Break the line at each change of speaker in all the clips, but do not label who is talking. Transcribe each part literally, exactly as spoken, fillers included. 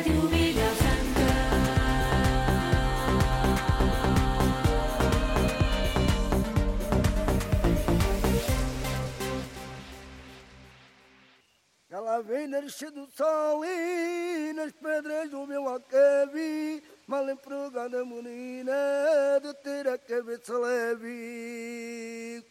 Ràdio Vilafranca.
Ela vem nascer do sol e nas pedras do meu alcavi, mal empregada menina de ter a cabeça leve.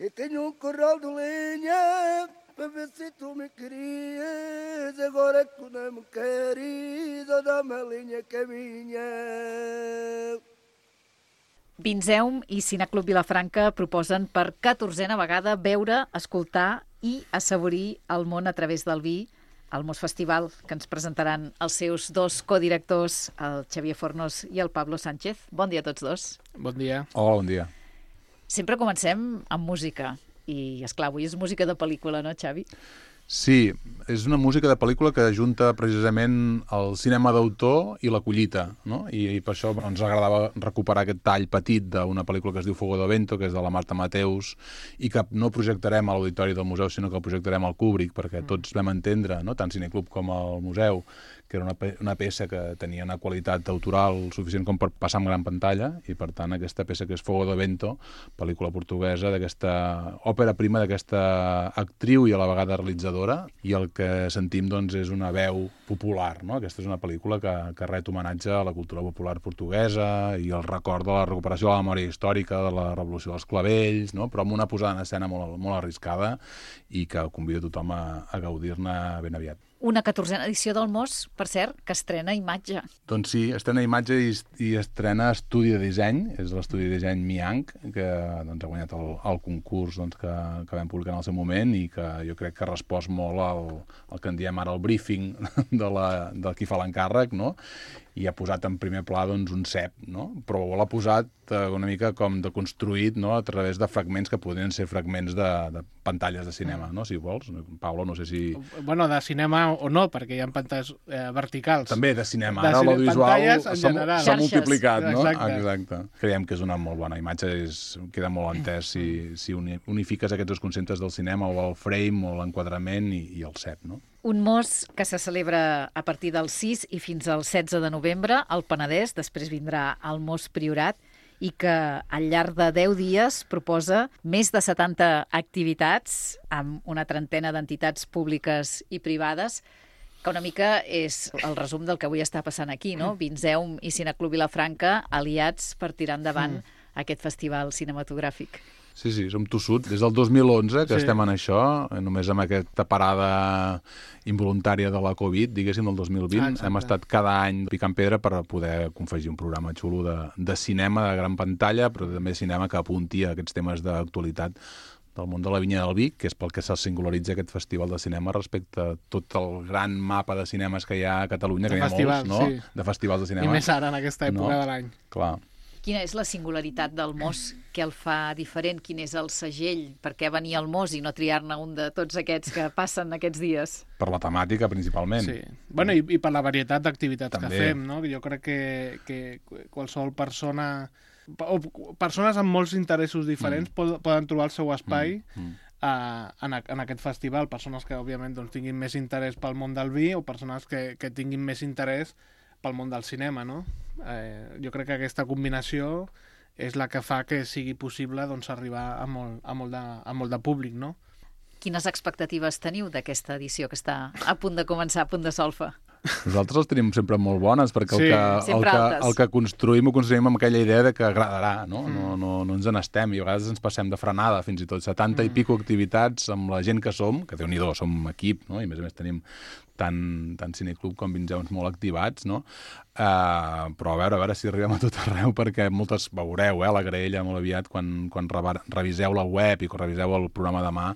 Eu tenho um corral de lenha para ver se tu me querias, agora que tu não me queres, dá-me a lenha que é minha.
Vinzeum i Cineclub Vilafranca proposen per catorzena vegada veure, escoltar i assaborir el món a través del vi, al Mos Festival, que ens presentaran els seus dos codirectors, el Xavier Fornos i el Pablo Sánchez. Bon dia a tots dos.
Bon dia.
Hola, bon dia.
Sempre comencem amb música i, esclar, avui és música de pel·lícula, no, Xavi?
Sí, és una música de pel·lícula que ajunta precisament el cinema d'autor i la collita, no? I, i per això ens agradava recuperar aquest tall petit d'una pel·lícula que es diu Fuego de Vento, que és de la Marta Mateus, i que no projectarem a l'auditori del museu, sinó que el projectarem al Kubrick, perquè tots vam entendre, no? Tant Cineclub com el museu, que era una, pe una peça que tenia una qualitat autoral suficient com per passar en gran pantalla, i per tant aquesta peça que és Fuego de Vento, pel·lícula portuguesa, d'aquesta òpera prima d'aquesta actriu i a la vegada realitzadora, i el que sentim doncs, és una veu popular, no? Aquesta és una pel·lícula que, que ret homenatge a la cultura popular portuguesa i el record de la recuperació de la memòria històrica de la Revolució dels Clavells, no? Però amb una posada en escena molt, molt arriscada i que convido tothom a, a gaudir-ne ben aviat.
Una catorzena edició del Mos, per cert, que estrena imatge.
Doncs sí, estrena imatge i, i estrena estudi de disseny, és l'estudi de disseny Miang, que doncs, ha guanyat el, el concurs doncs, que, que vam publicar en el seu moment i que jo crec que ha respost molt al, al que en diem ara el briefing de, la, de qui fa l'encàrrec, no? I ha posat en primer pla doncs, un cep, no? Però l'ha posat eh, una mica com deconstruït, no? A través de fragments que podrien ser fragments de, de pantalles de cinema, no? Si vols. Pablo, no sé si...
Bueno, de cinema o no, perquè hi ha pantalles eh, verticals.
També de cinema.
De
Ara
cine...
l'audiovisual s'ha
Xarxes.
multiplicat, no?
Exacte.
Exacte. Creiem que és una molt bona imatge, és, queda molt entès si, si unifiques aquests dos conceptes del cinema, o el frame, o l'enquadrament i, i el cep, no?
Un Mos que se celebra a partir del sis i fins al setze de novembre al Penedès, després vindrà al Mos Priorat, i que al llarg de deu dies proposa més de setanta activitats amb una trentena d'entitats públiques i privades, que una mica és el resum del que avui està passant aquí, no? Vinzeum i Cineclub Vilafranca aliats per tirar endavant mm. aquest festival cinematogràfic.
Sí, sí, som tossuts. Des del dos mil onze que sí. estem en això, només amb aquesta parada involuntària de la Covid, diguéssim, del dos mil vint. Ah, hem estat cada any picant pedra per poder confegir un programa xulo de, de cinema de gran pantalla, però també cinema que apunti a aquests temes d'actualitat del món de la vinya del vi, que és pel que se singularitza aquest festival de cinema respecte a tot el gran mapa de cinemes que hi ha a Catalunya,
de
que
festivals,
hi ha molts, no?
Sí.
De festivals de cinema.
I més ara, en aquesta època
no?
de l'any.
Clar.
Quina és la singularitat del Mos? Què el fa diferent? Quin és el segell? Per què venir al Mos i no triar-ne un de tots aquests que passen aquests dies?
Per la temàtica, principalment.
Sí. Bueno, i, i per la varietat d'activitats que fem, no? Jo crec que, que qualsevol persona... o persones amb molts interessos diferents mm. poden trobar el seu espai mm. Mm. Uh, en, a, en aquest festival. Persones que, òbviament, doncs, tinguin més interès pel món del vi o persones que, que tinguin més interès pel món del cinema, no? Eh, jo crec que aquesta combinació és la que fa que sigui possible doncs, arribar a molt, a, molt de, a molt de públic, no?
Quines expectatives teniu d'aquesta edició que està a punt de començar, a punt de solfa?
Nosaltres les tenim sempre molt bones, perquè
sí,
el, que, el, que, el que construïm ho construïm amb aquella idea de que agradarà, no? Mm. No, no, no ens n'estem, i a vegades ens passem de frenada, fins i tot setanta mm. i pico activitats amb la gent que som, que Déu-n'hi-do, som equip, no? I a més a més tenim tant, tant Cineclub com Vinzeums molt activats, no? Uh, però a veure, a veure si arribem a tot arreu, perquè moltes veureu, eh, la graella molt aviat, quan, quan reviseu la web i quan reviseu el programa demà,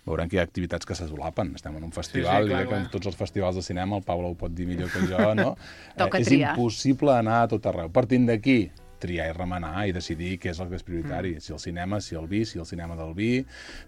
veurem que hi ha activitats que se solapen. Estem en un festival, sí, sí, clar, i que en tots els festivals de cinema, el Pablo ho pot dir millor que jo, no?
Toca
eh, és
triar.
impossible anar a tot arreu. Partint d'aquí, triar i remenar i decidir què és el que és prioritari. Mm. Si el cinema, si el vi, si el cinema del vi,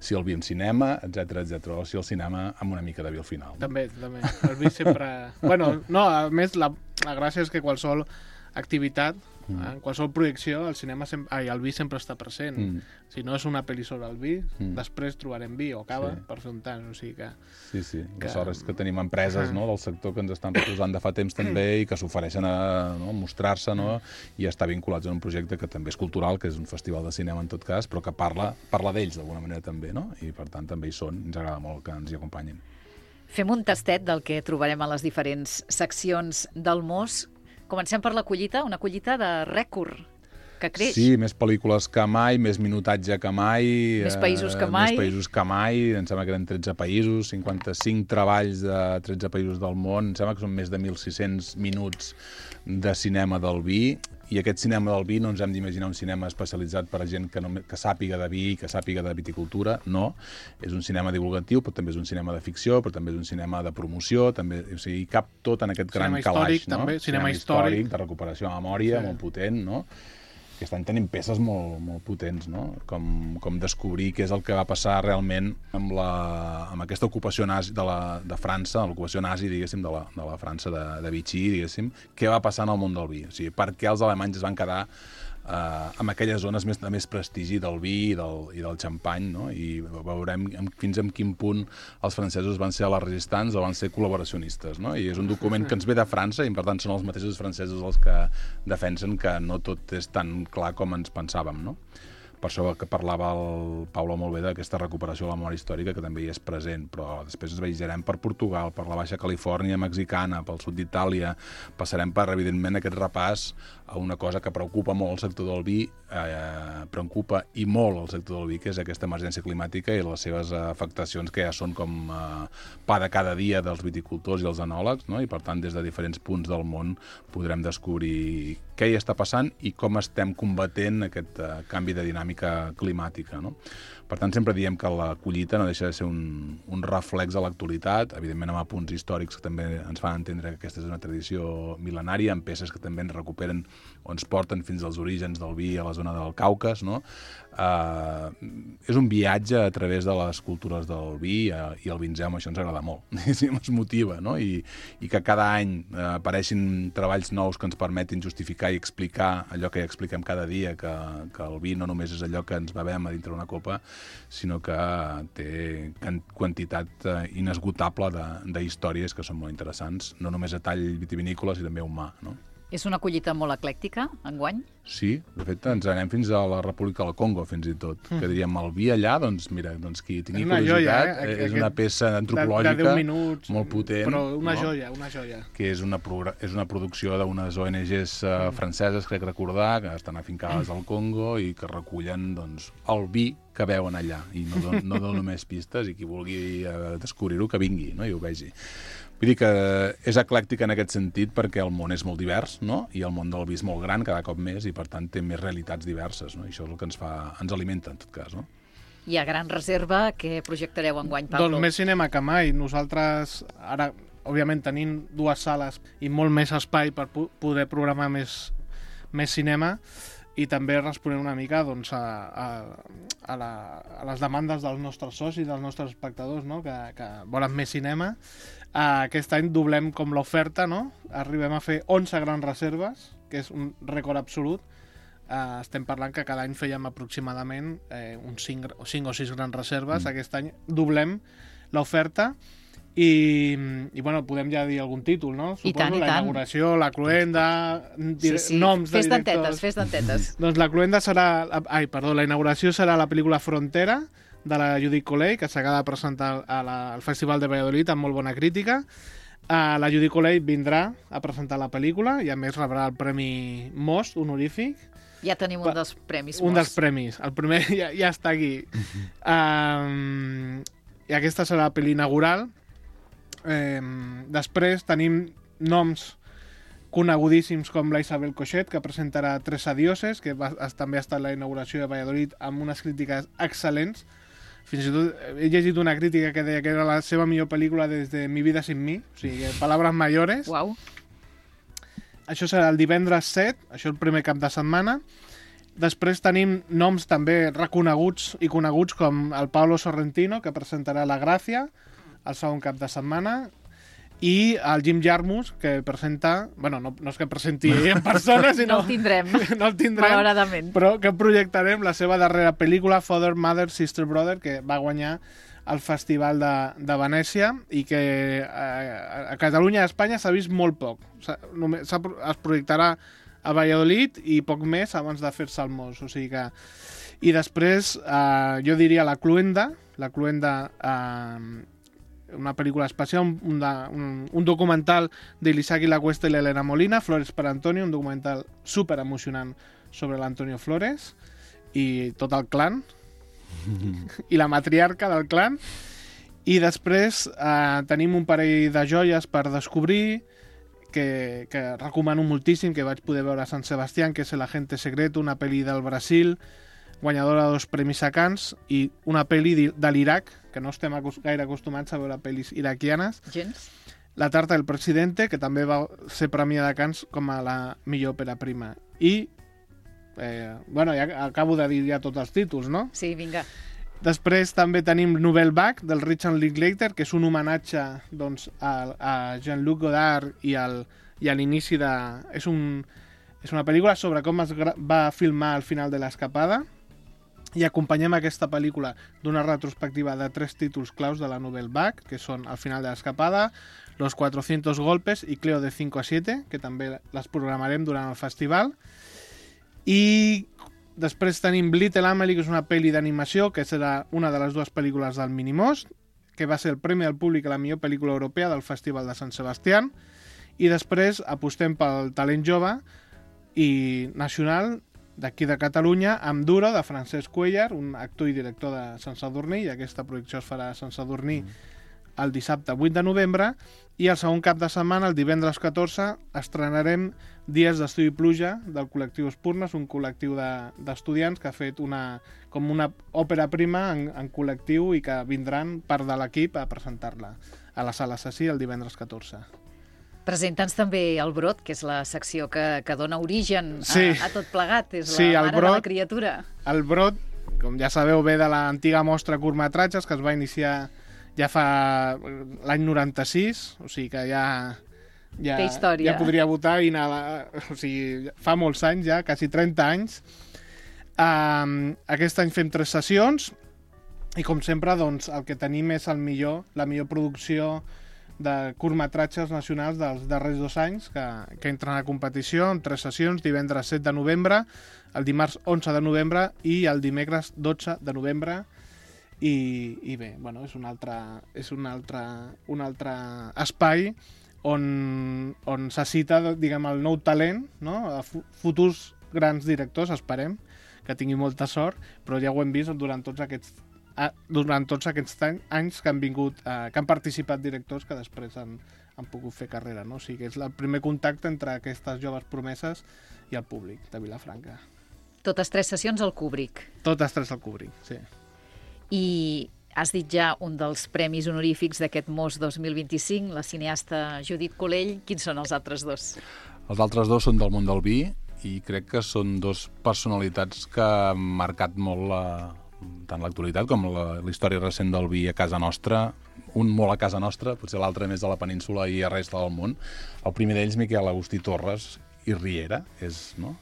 si el vi amb cinema, etcètera, etcètera, o si el cinema amb una mica de vi al final.
També, també. El vi sempre... bueno, no, a més, la, la gràcia és que qualsevol activitat, mm. en qualsevol projecció, el cinema sem ai, el vi sempre està present. Mm. Si no és una pel·li sobre el vi, mm. després trobarem vi o cava sí. per fer un tant. O sigui que...
Sí, sí. Que... La sort és que tenim empreses no, del sector que ens estan recolzant de fa temps també i que s'ofereixen a no, mostrar-se no, i estar vinculats en un projecte que també és cultural, que és un festival de cinema en tot cas, però que parla, parla d'ells d'alguna manera també, no? I per tant també hi són. Ens agrada molt que ens hi acompanyin.
Fem un tastet del que trobarem a les diferents seccions del Mos. Comencem per la collita, una collita de rècord, que creix.
Sí, més pel·lícules que mai, més minutatge que mai.
Més països que mai.
Eh, més països que mai. Em sembla que eren tretze països, cinquanta-cinc treballs de tretze països del món. Em sembla que són més de mil sis-cents minuts de cinema del vi. I aquest cinema del vi no ens hem d'imaginar un cinema especialitzat per a gent que, no, que sàpiga de vi, que sàpiga de viticultura, no. És un cinema divulgatiu, però també és un cinema de ficció, però també és un cinema de promoció, també, o sigui, cap tot en aquest gran
cinema
calaix.
Històric, no? També, cinema,
cinema
històric.
històric, de recuperació de memòria, sí. molt potent, no? Aquest any tenim peces molt, molt potents, no? Com, com descobrir què és el que va passar realment amb, la, amb aquesta ocupació nazi de, la, de França, l'ocupació nazi, diguéssim, de la, de la França de, de Vichy, diguéssim, què va passar en el món del vi. O sigui, per què els alemanys es van quedar eh, amb aquelles zones més, de més prestigi del vi i del, i del xampany, no? I veurem fins a quin punt els francesos van ser a les resistants o van ser col·laboracionistes, no? I és un document que ens ve de França i per tant són els mateixos francesos els que defensen que no tot és tan clar com ens pensàvem, no? Per això que parlava el Paulo molt bé d'aquesta recuperació de la memòria històrica, que també hi és present, però després ens viatjarem per Portugal, per la Baixa Califòrnia mexicana, pel sud d'Itàlia, passarem per, evidentment, aquest repàs a una cosa que preocupa molt el sector del vi, eh, preocupa i molt el sector del vi, que és aquesta emergència climàtica i les seves afectacions que ja són com eh, pa de cada dia dels viticultors i els enòlegs, no? I per tant, des de diferents punts del món podrem descobrir què hi està passant i com estem combatent aquest uh, canvi de dinàmica climàtica, no? Per tant, sempre diem que la collita no deixa de ser un, un reflex de l'actualitat, evidentment amb apunts històrics que també ens fan entendre que aquesta és una tradició mil·lenària, amb peces que també ens recuperen o ens porten fins als orígens del vi a la zona del Caucas, no? Uh, és un viatge a través de les cultures del vi uh, i el vinzem, això ens agrada molt, ens motiva, no? I, i que cada any uh, apareixin treballs nous que ens permetin justificar i explicar allò que ja expliquem cada dia, que, que el vi no només és allò que ens bevem a dintre una copa, sinó que té quantitat uh, inesgotable de històries que són molt interessants, no només a tall vitivinícola, sinó també humà, no?
És una collita molt eclèctica, enguany?
Sí, de fet ens anem fins a la República del Congo, fins i tot. Mm. Que diríem, el vi allà, doncs mira, doncs qui tingui curiositat, joia, eh? és una peça antropològica de, de minuts, molt potent.
Però una
no?
joia, una joia.
Que és una, és una producció d'unes O N Ges uh, mm. franceses, crec recordar, que estan afincades al Congo i que recullen doncs, el vi que veuen allà. I no, don, no dono més pistes i qui vulgui uh, descobrir-ho, que vingui, no? I ho vegi. Vull dir que és eclèctic en aquest sentit perquè el món és molt divers, no? I el món del vi és molt gran cada cop més i per tant té més realitats diverses, no? I això és el que ens fa, ens alimenta en tot cas, no?
I a gran reserva, què projectareu enguany, Pablo?
Doncs més cinema que mai. Nosaltres ara, òbviament, tenim dues sales i molt més espai per poder programar més, més cinema i també responem una mica doncs, a, a, a, la, a les demandes dels nostres socis, dels nostres espectadors, no? que, que volen més cinema. Uh, aquest any doblem com l'oferta, no? Arribem a fer onze grans reserves, que és un rècord absolut. Uh, estem parlant que cada any fèiem aproximadament eh, uns cinc o sis grans reserves. Mm. Aquest any doblem l'oferta i, i bueno, podem ja dir algun títol, no? Suposo,
I tant, i
la
tant.
inauguració, la Cluenda,
sí, sí.
noms
fes
de directors.
Fes dentetes,
Doncs la Cluenda serà... Ai, perdó, la inauguració serà la pel·lícula Frontera, de la Judith Colell, que s'acaba de presentar a la, al Festival de Valladolid amb molt bona crítica. Uh, la Judith Colell vindrà a presentar la pel·lícula i a més rebrà el Premi Most honorífic.
Ja tenim un dels premis Most.
Un dels premis. El primer ja, ja està aquí. um, I aquesta serà la pel·li inaugural. Um, després tenim noms conegudíssims com la Isabel Coixet, que presentarà Tres adioses, que va, també ha estat la inauguració de Valladolid amb unes crítiques excel·lents. Fins i tot he llegit una crítica que deia que era la seva millor pel·lícula des de Mi vida sin mi, o sigui, palabras mayores.
Uau.
Això serà el divendres set, això el primer cap de setmana. Després tenim noms també reconeguts i coneguts com el Pablo Sorrentino, que presentarà La Gràcia el segon cap de setmana. i el Jim Jarmusch, que presenta... Bueno, no, no és que presenti ell en persona, sinó...
No el tindrem,
no el tindrem,
malauradament.
Però que projectarem la seva darrera pel·lícula, Father, Mother, Sister, Brother, que va guanyar el Festival de, de Venècia i que a, a Catalunya i a Espanya s'ha vist molt poc. Només es projectarà a Valladolid i poc més abans de fer-se al Mos. O sigui que... I després, eh, jo diria La Cluenda, La Cluenda... Eh, una pel·lícula especial, un, un, un documental de l'Isaac Lacuesta i l'Helena Molina, Flores per Antonio, un documental super emocionant sobre l'Antonio Flores i tot el clan i la matriarca del clan. I després eh, tenim un parell de joies per descobrir que, que recomano moltíssim, que vaig poder veure a Sant Sebastián, que és El Agente Secreto, una pel·li del Brasil guanyadora de dos premis a Cannes, i una pel·li de l'Iraq, que no estem gaire acostumats a veure pel·lis iraquianes.
Gens.
La Tarta del Presidente, que també va ser premiada a Cannes com a la millor òpera prima. I, eh, bueno, ja acabo de dir ja tots els títols, no?
Sí, vinga.
Després també tenim Nouvelle Vague, del Richard Linklater, que és un homenatge doncs, a, a Jean-Luc Godard i, al, i a l'inici de... És, un, és una pel·lícula sobre com es va filmar al final de l'escapada, i acompanyem aquesta pel·lícula d'una retrospectiva de tres títols claus de la Nouvelle Vague, que són El final de l'escapada, Los cuatrocientos golpes i Cleo de cinco a siete, que també les programarem durant el festival. I després tenim Little Amelie, que és una pel·li d'animació, que serà una de les dues pel·lícules del Minimost, que va ser el Premi del Públic a la millor pel·lícula europea del Festival de Sant Sebastián. I després apostem pel talent jove i nacional d'aquí de Catalunya, amb Duro, de Francesc Cuellar, un actor i director de Sant Sadurní, i aquesta projecció es farà a Sant Sadurní el dissabte vuit de novembre, i el segon cap de setmana, el divendres catorze, estrenarem Dies d'estiu i pluja, del col·lectiu Espurnes, un col·lectiu d'estudiants de, que ha fet una, com una òpera prima en, en col·lectiu i que vindran part de l'equip a presentar-la a la Sala Cessí el divendres catorze.
Presenta'ns també el Brot, que és la secció que, que dona origen a,
sí.
a tot plegat. És
sí,
la mare
Brot,
de la criatura.
El Brot, com ja sabeu, ve de l'antiga mostra curtmetratges que es va iniciar ja fa l'any noranta-sis, o sigui que ja... Ja,
Té història.
Ja podria votar i anar... A, o sigui, fa molts anys ja, quasi trenta anys. Um, aquest any fem tres sessions i, com sempre, doncs, el que tenim és el millor, la millor producció de curtmetratges nacionals dels darrers dos anys que, que entren a competició en tres sessions, divendres set de novembre, el dimarts onze de novembre i el dimecres dotze de novembre. I, i bé, bueno, és un altre, és un altre, un altre espai on, on se cita, diguem, el nou talent, no? A futurs grans directors, esperem que tingui molta sort, però ja ho hem vist durant tots aquests durant tots aquests anys que han vingut, eh, que han participat directors que després han, han pogut fer carrera, no? O sigui que és el primer contacte entre aquestes joves promeses i el públic de Vilafranca.
Totes tres sessions al Kubrick.
Totes tres al Kubrick, sí.
I has dit ja un dels premis honorífics d'aquest Mos dos mil vint-i-cinc, la cineasta Judit Colell. Quins són els altres dos?
Els altres dos són del món del vi i crec que són dos personalitats que han marcat molt la tant l'actualitat com la, la història recent del vi a casa nostra, un molt a casa nostra, potser l'altre més a la península i a resta del món. El primer d'ells, Miquel Agustí Torres i Riera, és no,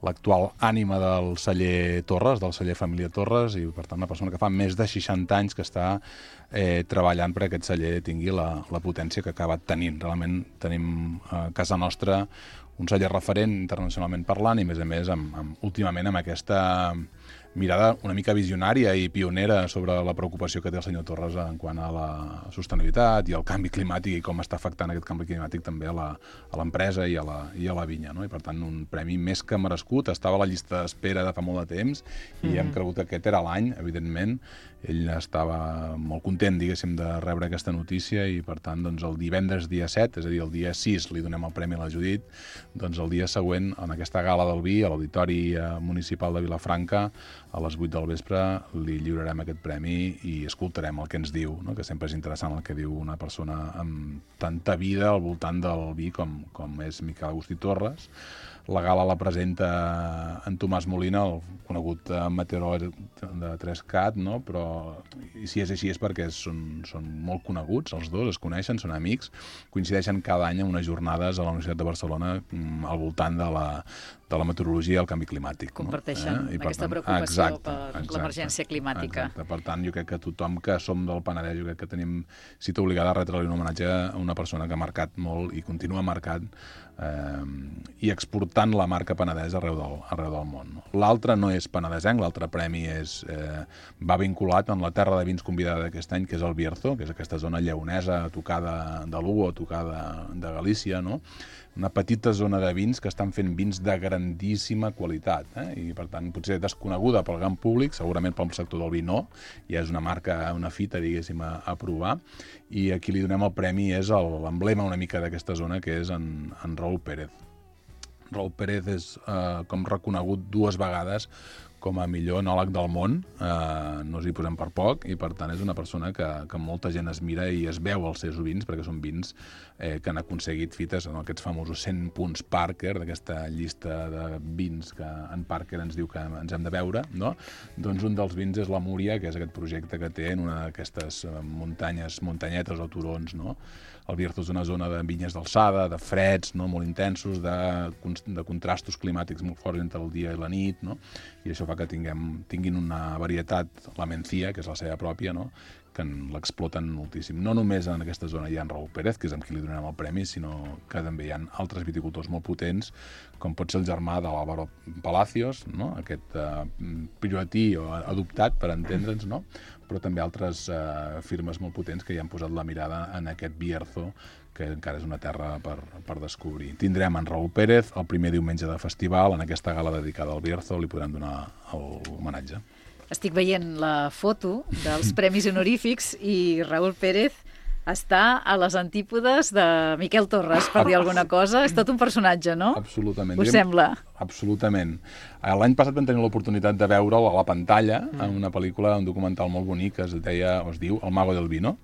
l'actual ànima del celler Torres, del celler Família Torres, i per tant una persona que fa més de seixanta anys que està eh, treballant perquè aquest celler tingui la, la potència que ha acabat tenint. Realment tenim a casa nostra un celler referent internacionalment parlant i, a més a més, amb, amb, últimament amb aquesta mirada una mica visionària i pionera sobre la preocupació que té el senyor Torres en quant a la sostenibilitat i al canvi climàtic i com està afectant aquest canvi climàtic també a l'empresa i, a la, i a la vinya, no? I per tant un premi més que merescut, estava a la llista d'espera de fa molt de temps i mm-hmm. hem cregut que aquest era l'any, evidentment. Ell estava molt content, diguéssim, de rebre aquesta notícia i per tant doncs, el divendres dia set, és a dir, el dia sis, li donem el premi a la Judit doncs el dia següent, en aquesta gala del vi, a l'Auditori Municipal de Vilafranca, a les vuit del vespre, li lliurarem aquest premi i escoltarem el que ens diu, no? Que sempre és interessant el que diu una persona amb tanta vida al voltant del vi com, com és Miquel Agustí Torres. La gala la presenta en Tomàs Molina, el conegut meteoròleg de tres-cat, no? Però i si és així és perquè són, són molt coneguts, els dos, es coneixen, són amics, coincideixen cada any en unes jornades a la Universitat de Barcelona al voltant de la, de la meteorologia i el canvi climàtic.
Comparteixen
no? eh?
aquesta tant, preocupació exacte, per l'emergència climàtica.
Exacte. Per tant, jo crec que tothom que som del Penedès, jo crec que tenim cita obligada a retre-li un homenatge a una persona que ha marcat molt i continua marcant eh, i exportant la marca Penedès arreu del, arreu del món. No? L'altre no és penedesenc, l'altre premi és, eh, va vinculat en la terra de vins convidada d'aquest any, que és el Bierzo, que és aquesta zona lleonesa, tocada de Lugo, tocada de Galícia, no? Una petita zona de vins que estan fent vins de grandíssima qualitat, eh? I per tant potser desconeguda pel gran públic, segurament pel sector del vi no, ja és una marca, una fita, diguéssim, a, a provar, i a qui li donem el premi és l'emblema una mica d'aquesta zona, que és en, en Raúl Pérez. Raúl Pérez és eh, com reconegut dues vegades com a millor enòleg del món, eh, no us hi posem per poc, i per tant és una persona que, que molta gent es mira i es veu els seus vins, perquè són vins eh, que han aconseguit fites en aquests famosos cent punts Parker, d'aquesta llista de vins que en Parker ens diu que ens hem de veure, no? Doncs un dels vins és la Múria, que és aquest projecte que té en una d'aquestes muntanyes, muntanyetes o turons, no? El Bierzo és una zona de vinyes d'alçada, de freds, no? Molt intensos, de, de contrastos climàtics molt forts entre el dia i la nit, no? I això fa que tinguem, tinguin una varietat, la Mencía, que és la seva pròpia, no? Que l'exploten moltíssim. No només en aquesta zona hi ha en Raúl Pérez, que és amb qui li donem el premi, sinó que també hi ha altres viticultors molt potents, com pot ser el germà de l'Álvaro Palacios, no? Aquest uh, prioratí o adoptat, per entendre'ns, no? Però també altres uh, firmes molt potents que hi han posat la mirada en aquest Bierzo, que encara és una terra per, per descobrir. Tindrem en Raúl Pérez el primer diumenge de festival, en aquesta gala dedicada al Bierzo, li podrem donar l'homenatge.
Estic veient la foto dels premis honorífics i Raúl Pérez està a les antípodes de Miquel Torres, per dir alguna cosa. És tot un personatge, no?
Absolutament.
Us sembla?
Absolutament. L'any passat vam tenir l'oportunitat de veure'l a la pantalla en una pel·lícula, un documental molt bonic que es deia, o es diu El Mago del Vino.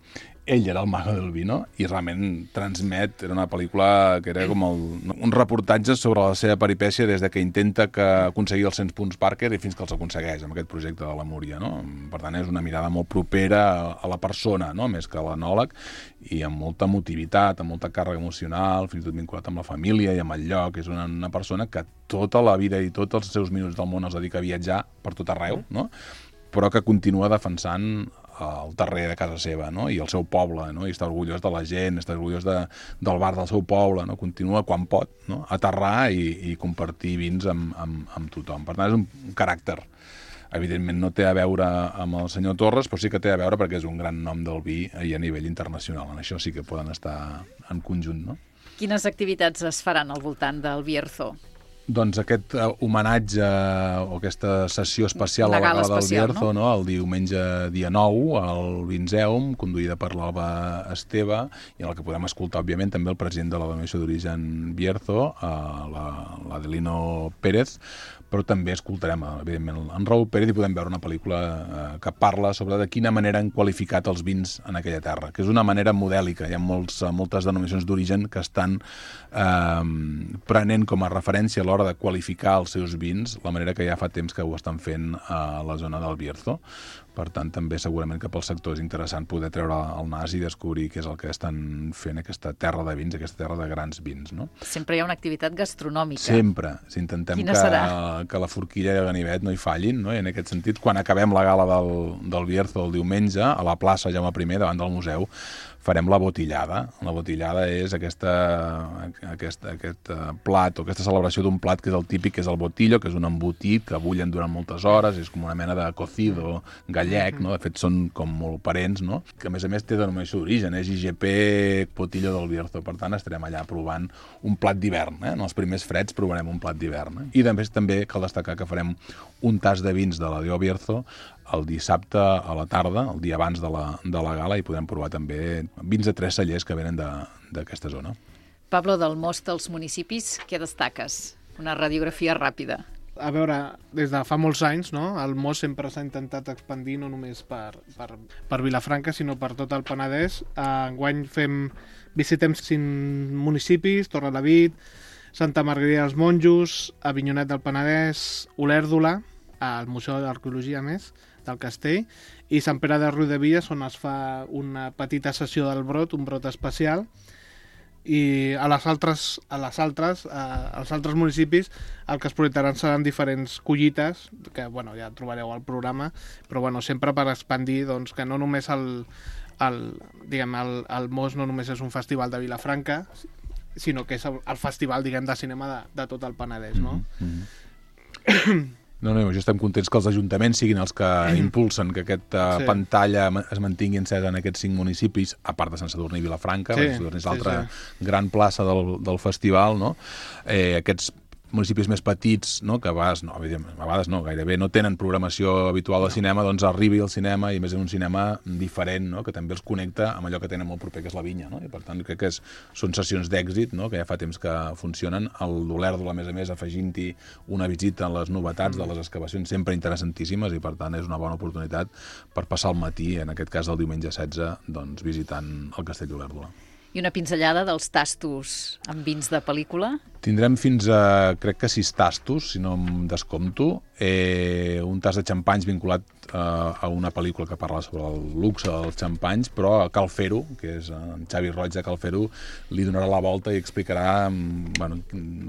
Ell era el mago del vino i realment transmet, era una pel·lícula que era com el, un reportatge sobre la seva peripècia des de que intenta que aconseguir els cent punts Parker i fins que els aconsegueix amb aquest projecte de la Múria, no? Per tant, és una mirada molt propera a la persona, no? Més que a l'enòleg, i amb molta emotivitat, amb molta càrrega emocional, fins i tot vinculat amb la família i amb el lloc. És una, una persona que tota la vida i tots els seus minuts del món els dedica a viatjar per tot arreu, no? Però que continua defensant el terrer de casa seva, no? I el seu poble, no? I està orgullós de la gent, està orgullós de, del bar del seu poble, no? Continua quan pot, no? Aterrar i, i compartir vins amb, amb, amb tothom. Per tant, és un caràcter. Evidentment no té a veure amb el senyor Torres, però sí que té a veure perquè és un gran nom del vi i a nivell internacional. En això sí que poden estar en conjunt, no?
Quines activitats es faran al voltant del Bierzo?
Doncs aquest uh, homenatge o aquesta sessió especial
Una
a la
gala
gala del
especial,
Bierzo,
no?
No? El diumenge dia nou al Vinzeum, conduïda per l'Alba Esteve, i en el que podem escoltar, òbviament, també el president de la Denominació d'Origen Bierzo, uh, l'Adelino Pérez, però també escoltarem, evidentment, en Raúl Pérez i podem veure una pel·lícula eh, que parla sobre de quina manera han qualificat els vins en aquella terra, que és una manera modèlica. Hi ha molts, moltes denominacions d'origen que estan eh, prenent com a referència a l'hora de qualificar els seus vins, la manera que ja fa temps que ho estan fent a la zona del Bierzo. Per tant, també segurament que pel sector és interessant poder treure el nas i descobrir què és el que estan fent aquesta terra de vins, aquesta terra de grans vins, no?
Sempre hi ha una activitat gastronòmica.
Sempre. Si intentem
Quina
que,
serà?
que la forquilla i el ganivet no hi fallin, no? I en aquest sentit, quan acabem la gala del, del Bierzo el diumenge, a la plaça Jaume primer, davant del museu, farem la botillada. La botillada és aquesta, aquesta, aquest plat o aquesta celebració d'un plat que és el típic, que és el botillo, que és un embotit que bullen durant moltes hores, és com una mena de cocido gallec, no? De fet són com molt parents, no? Que a més a més té denominació d'origen, és I G P Botillo del Bierzo. Per tant, estarem allà provant un plat d'hivern, eh? En els primers freds provarem un plat d'hivern. Eh? I també, també cal destacar que farem un tas de vins de la Dio Bierzo el dissabte a la tarda, el dia abans de la, de la gala, i podrem provar també vins de tres cellers que venen d'aquesta zona.
Pablo, del most dels municipis, què destaques? Una radiografia ràpida.
A veure, des de fa molts anys, no? El most sempre s'ha intentat expandir no només per, per, per Vilafranca, sinó per tot el Penedès. Enguany fem, visitem cinc municipis, Torrelavit, Santa Margarida dels Monjos, Avinyonet del Penedès, Olèrdola, al Museu d'Arqueologia, més, del Castell, i Sant Pere de Riudebitlles, on es fa una petita sessió del brot, un brot especial, i a les altres, a les altres, a, als altres municipis el que es projectaran seran diferents collites, que bueno, ja trobareu al programa, però bueno, sempre per expandir doncs, que no només el, el, diguem, el, el most no només és un festival de Vilafranca, sinó que és el, el festival, diguem, de cinema de, de tot el Penedès, no?
Mm-hmm. No, no, jo estem contents que els ajuntaments siguin els que impulsen que aquesta sí. pantalla es mantingui encesa en aquests cinc municipis, a part de Sant Sadurní i Vilafranca, sí, és l'altra sí, sí. gran plaça del, del festival, no? Eh, aquests municipis més petits, no? que a vegades, no, a vegades no, gairebé no tenen programació habitual de cinema, doncs arribi al cinema i més en un cinema diferent, no? que també els connecta amb allò que tenen molt proper, que és la vinya. No? I per tant crec que és, són sessions d'èxit, no? que ja fa temps que funcionen. El d'Olèrdola, a més a més, afegint-hi una visita a les novetats de les excavacions sempre interessantíssimes i per tant és una bona oportunitat per passar el matí, en aquest cas el diumenge setze, doncs, visitant el Castell d'Olèrdola.
I una pinzellada dels tastos amb vins de pel·lícula?
Tindrem fins a, crec que sis tastos, si no em descompto. Eh, un tast de xampanys vinculat eh, a una pel·lícula que parla sobre el luxe dels xampanys, però a Cal Fer-ho, que és en Xavi Roig de Cal Fer-ho, li donarà la volta i explicarà bueno,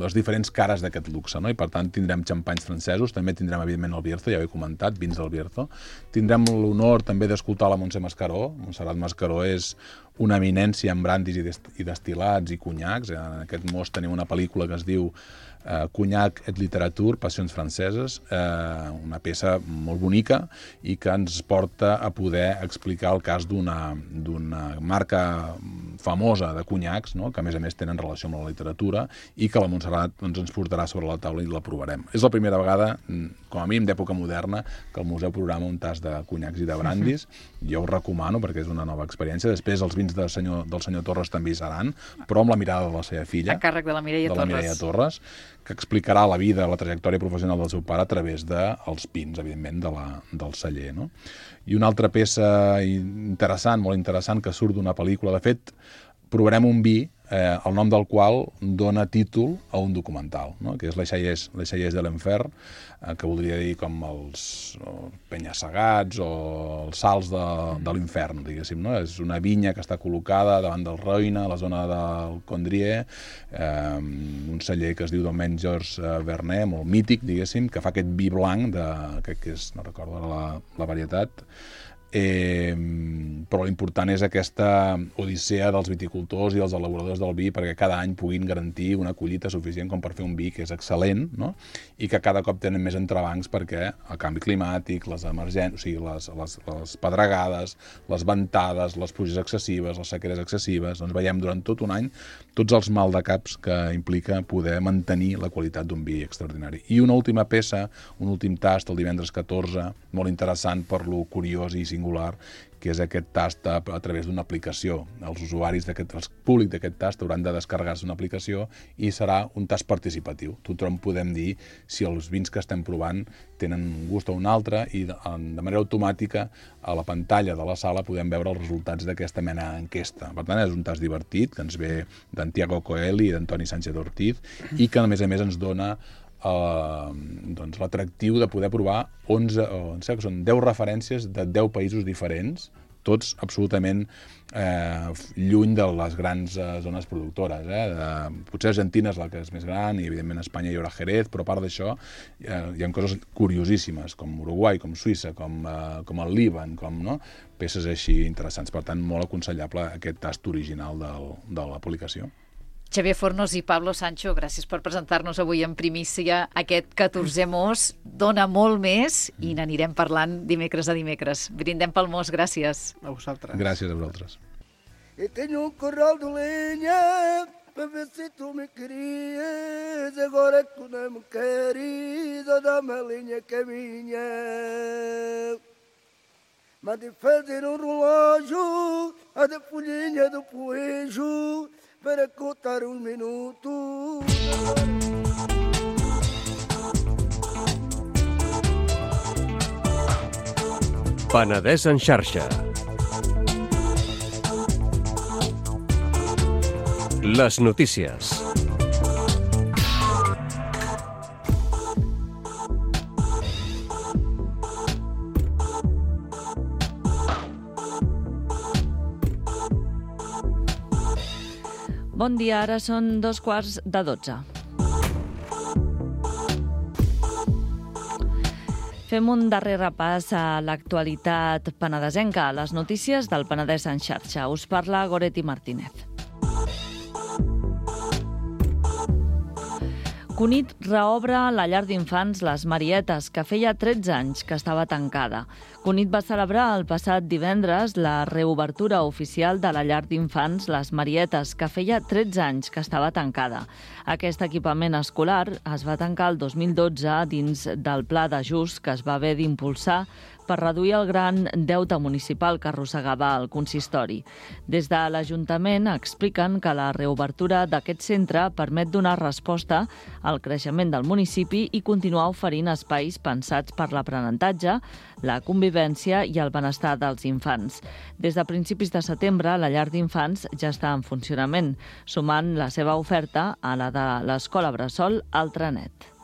les diferents cares d'aquest luxe. No? I per tant tindrem xampanys francesos, també tindrem evidentment el Bierzo, ja ho he comentat, vins del Bierzo. Tindrem l'honor també d'escoltar la Montse Mascaró. Montserrat Mascaró és una eminència en brandis i destil·lats i conyacs. En aquest most tenim una pel·lícula que es diu eh, Conyac et literature, passions franceses, eh, una peça molt bonica i que ens porta a poder explicar el cas d'una d'una marca famosa de conyacs, no? que a més a més tenen relació amb la literatura i que la Montserrat doncs, ens portarà sobre la taula i la provarem. És la primera vegada, com a mínim d'època moderna, que el museu programa un tast de conyacs i de brandis. Jo ho recomano perquè és una nova experiència. Després els vins del senyor, del senyor Torres també hi seran, però amb la mirada de la seva filla.
A càrrec de la Mireia
de
Torres.
La Mireia Torres, que explicarà la vida, la trajectòria professional del seu pare a través dels pins, evidentment, de la, del celler. No? I una altra peça interessant, molt interessant, que surt d'una pel·lícula. De fet, provarem un vi, eh, el nom del qual dona títol a un documental, no? que és Les Xaiers de l'Enfer, eh, que voldria dir com els penya-segats o els salts de, de l'infern, diguéssim. No? És una vinya que està col·locada davant del Roine, a la zona del Condrieu, eh, un celler que es diu Domaine Georges Vernet, molt mític, diguéssim, que fa aquest vi blanc, de, crec que és, no recordo la, la varietat, Eh, però l'important és aquesta odissea dels viticultors i dels elaboradors del vi perquè cada any puguin garantir una collita suficient com per fer un vi que és excel·lent, no? I que cada cop tenen més entrebancs perquè el canvi climàtic, les emergències, o sigui, les, les, les pedregades, les ventades, les pluges excessives, les sequeres excessives, doncs veiem durant tot un any tots els maldecaps que implica poder mantenir la qualitat d'un vi extraordinari. I una última peça, un últim tast el divendres catorze, molt interessant per lo curiós i singular, que és aquest tast a, a través d'una aplicació. Els usuaris, d'aquest, els públics d'aquest tast hauran de descarregar-se una aplicació i serà un tast participatiu. Tothom podem dir si els vins que estem provant tenen un gust o un altre i de, de manera automàtica a la pantalla de la sala podem veure els resultats d'aquesta mena d'enquesta. Per tant, és un tast divertit que ens ve d'en Tiago Coelho i d'Antoni Sánchez Ortiz i que a més a més ens dona Uh, doncs, l'atractiu de poder provar onze, o, em sembla que són deu referències de deu països diferents, tots absolutament eh, lluny de les grans eh, zones productores. Eh? De, potser Argentina és la que és més gran i evidentment a Espanya hi haurà Jerez, però a part d'això eh, hi ha coses curiosíssimes com Uruguai, com Suïssa, com, eh, com el Líban, com no? peces així interessants. Per tant, molt aconsellable aquest tast original del, de la publicació.
Xavier Fornos i Pablo Sancho, gràcies per presentar-nos avui en primícia aquest catorzè mos. Dona molt més i n'anirem parlant dimecres a dimecres. Brindem pel mos, gràcies.
A vosaltres.
Gràcies a vosaltres.
E tenho um corral de lenha para ver se tu me querias. Agora que tu não me queres, dá-me a lenha que é minha. Mande fazer um relógio, a da folhinha do poejo. per ascoltare un minuto.
Penedès en xarxa. Les notícies.
Bon dia, ara són dos quarts de dotze. Fem un darrer repàs a l'actualitat penedesenca, a les notícies del Penedès en xarxa. Us parla Goretti Martínez. Cunit reobre la llar d'infants Les Marietes, que feia tretze anys que estava tancada. Cunit va celebrar el passat divendres la reobertura oficial de la llar d'infants Les Marietes, que feia tretze anys que estava tancada. Aquest equipament escolar es va tancar el dos mil dotze dins del pla d'ajust que es va haver d'impulsar per reduir el gran deute municipal que arrossegava el consistori. Des de l'Ajuntament expliquen que la reobertura d'aquest centre permet donar resposta al creixement del municipi i continuar oferint espais pensats per l'aprenentatge, la convivència i el benestar dels infants. Des de principis de setembre, la llar d'infants ja està en funcionament, sumant la seva oferta a la de l'Escola Bressol Altranet.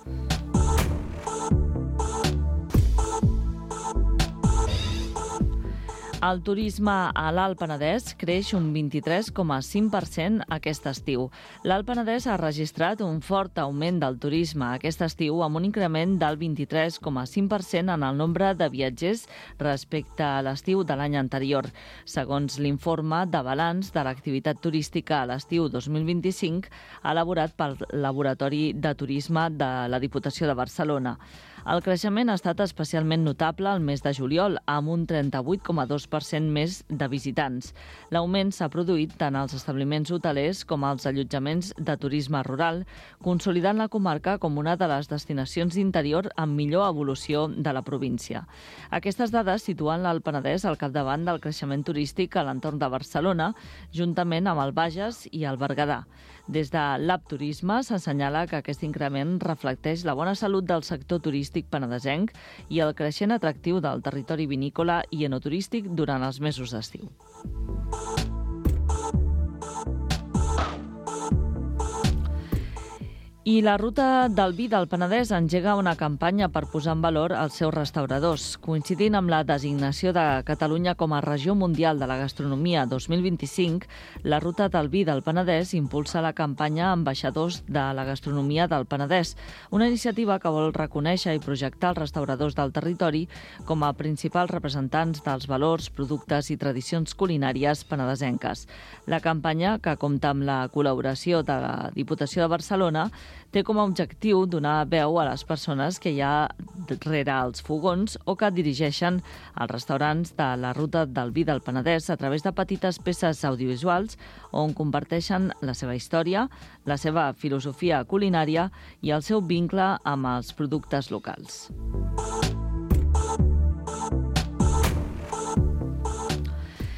El turisme a l'Alt Penedès creix un vint-i-tres coma cinc per cent aquest estiu. L'Alt Penedès ha registrat un fort augment del turisme aquest estiu amb un increment del vint-i-tres coma cinc per cent en el nombre de viatgers respecte a l'estiu de l'any anterior, segons l'informe de balanç de l'activitat turística a l'estiu dos mil vint-i-cinc elaborat pel Laboratori de Turisme de la Diputació de Barcelona. El creixement ha estat especialment notable al mes de juliol, amb un trenta-vuit coma dos per cent més de visitants. L'augment s'ha produït tant als establiments hotelers com als allotjaments de turisme rural, consolidant la comarca com una de les destinacions d'interior amb millor evolució de la província. Aquestes dades situen l'Alt Penedès al capdavant del creixement turístic a l'entorn de Barcelona, juntament amb el Bages i el Berguedà. Des de l'A P Turisme s'assenyala que aquest increment reflecteix la bona salut del sector turístic penedesenc i el creixent atractiu del territori vinícola i enoturístic durant els mesos d'estiu. I la Ruta del Vi del Penedès engega una campanya per posar en valor els seus restauradors. Coincidint amb la designació de Catalunya com a Regió Mundial de la Gastronomia dos mil vint-i-cinc, la Ruta del Vi del Penedès impulsa la campanya Ambaixadors de la Gastronomia del Penedès, una iniciativa que vol reconèixer i projectar els restauradors del territori com a principals representants dels valors, productes i tradicions culinàries penedesenques. La campanya, que compta amb la col·laboració de la Diputació de Barcelona, té com a objectiu donar veu a les persones que hi ha rere els fogons o que dirigeixen els restaurants de la Ruta del Vi del Penedès a través de petites peces audiovisuals on comparteixen la seva història, la seva filosofia culinària i el seu vincle amb els productes locals.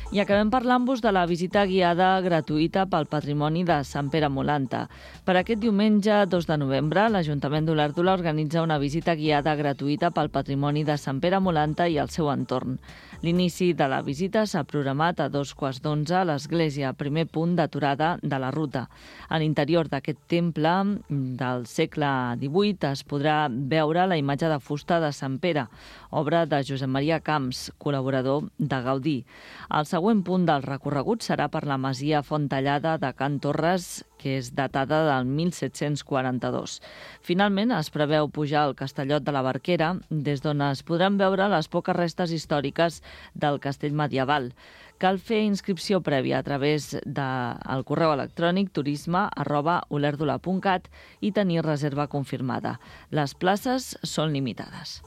I acabem parlant-vos de la visita guiada gratuïta pel patrimoni de Sant Pere Molanta. Per aquest diumenge, dos de novembre, l'Ajuntament d'Olèrdola organitza una visita guiada gratuïta pel patrimoni de Sant Pere Molanta i el seu entorn. L'inici de la visita s'ha programat a dos quarts d'onze a l'església, primer punt d'aturada de la ruta. A l'interior d'aquest temple del segle divuit es podrà veure la imatge de fusta de Sant Pere, obra de Josep Maria Camps, col·laborador de Gaudí. El següent punt del recorregut serà per la masia Fontallada de Can Torres, que és datada del mil set-cents quaranta-dos. Finalment, es preveu pujar al Castellot de la Barquera, des d'on es podran veure les poques restes històriques del castell medieval. Cal fer inscripció prèvia a través del correu electrònic turisme arroba olèrdola punt cat i tenir reserva confirmada. Les places són limitades.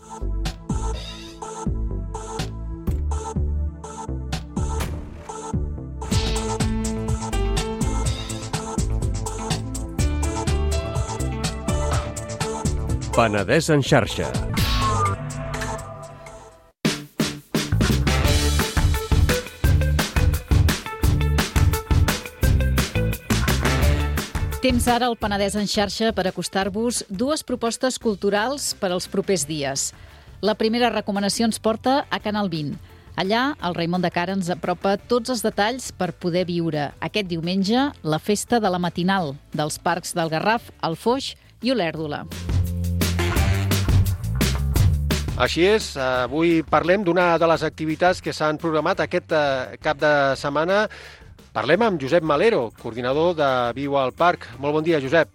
Penedès en xarxa.
Temps ara al Penedès en xarxa per acostar-vos dues propostes culturals per als propers dies. La primera recomanació ens porta a Canal vint. Allà, el Raimon de Cara ens apropa tots els detalls per poder viure aquest diumenge la festa de la matinal dels parcs del Garraf, el Foix i Olèrdola.
Així és, avui parlem d'una de les activitats que s'han programat aquest cap de setmana. Parlem amb Josep Malero, coordinador de Viu al Parc. Molt bon dia, Josep.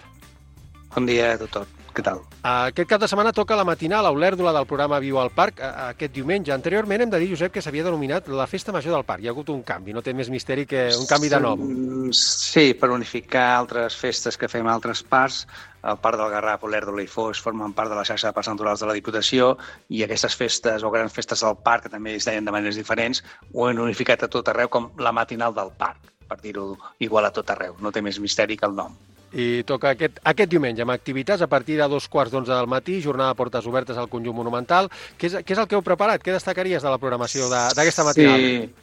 Bon dia a tothom. Què tal?
Aquest cap de setmana toca la matinal a Olèrdola del programa Viu al Parc aquest diumenge. Anteriorment hem de dir, Josep, que s'havia denominat la Festa Major del Parc. Hi ha hagut un canvi, no té més misteri que un canvi de nom.
Sí, per unificar altres festes que fem a altres parcs. El Parc del Garraf, Olèrdola i Foix formen part de la xarxa de parcs naturals de la Diputació i aquestes festes o grans festes del parc, que també es deien de maneres diferents, ho han unificat a tot arreu com la matinal del parc, per dir-ho igual a tot arreu. No té més misteri que el nom.
I toca aquest, aquest diumenge amb activitats a partir de dos quarts d'onze del matí, jornada de portes obertes al conjunt monumental. Què és, què és el que heu preparat? Què destacaries de la programació d'aquesta matinal?
Sí.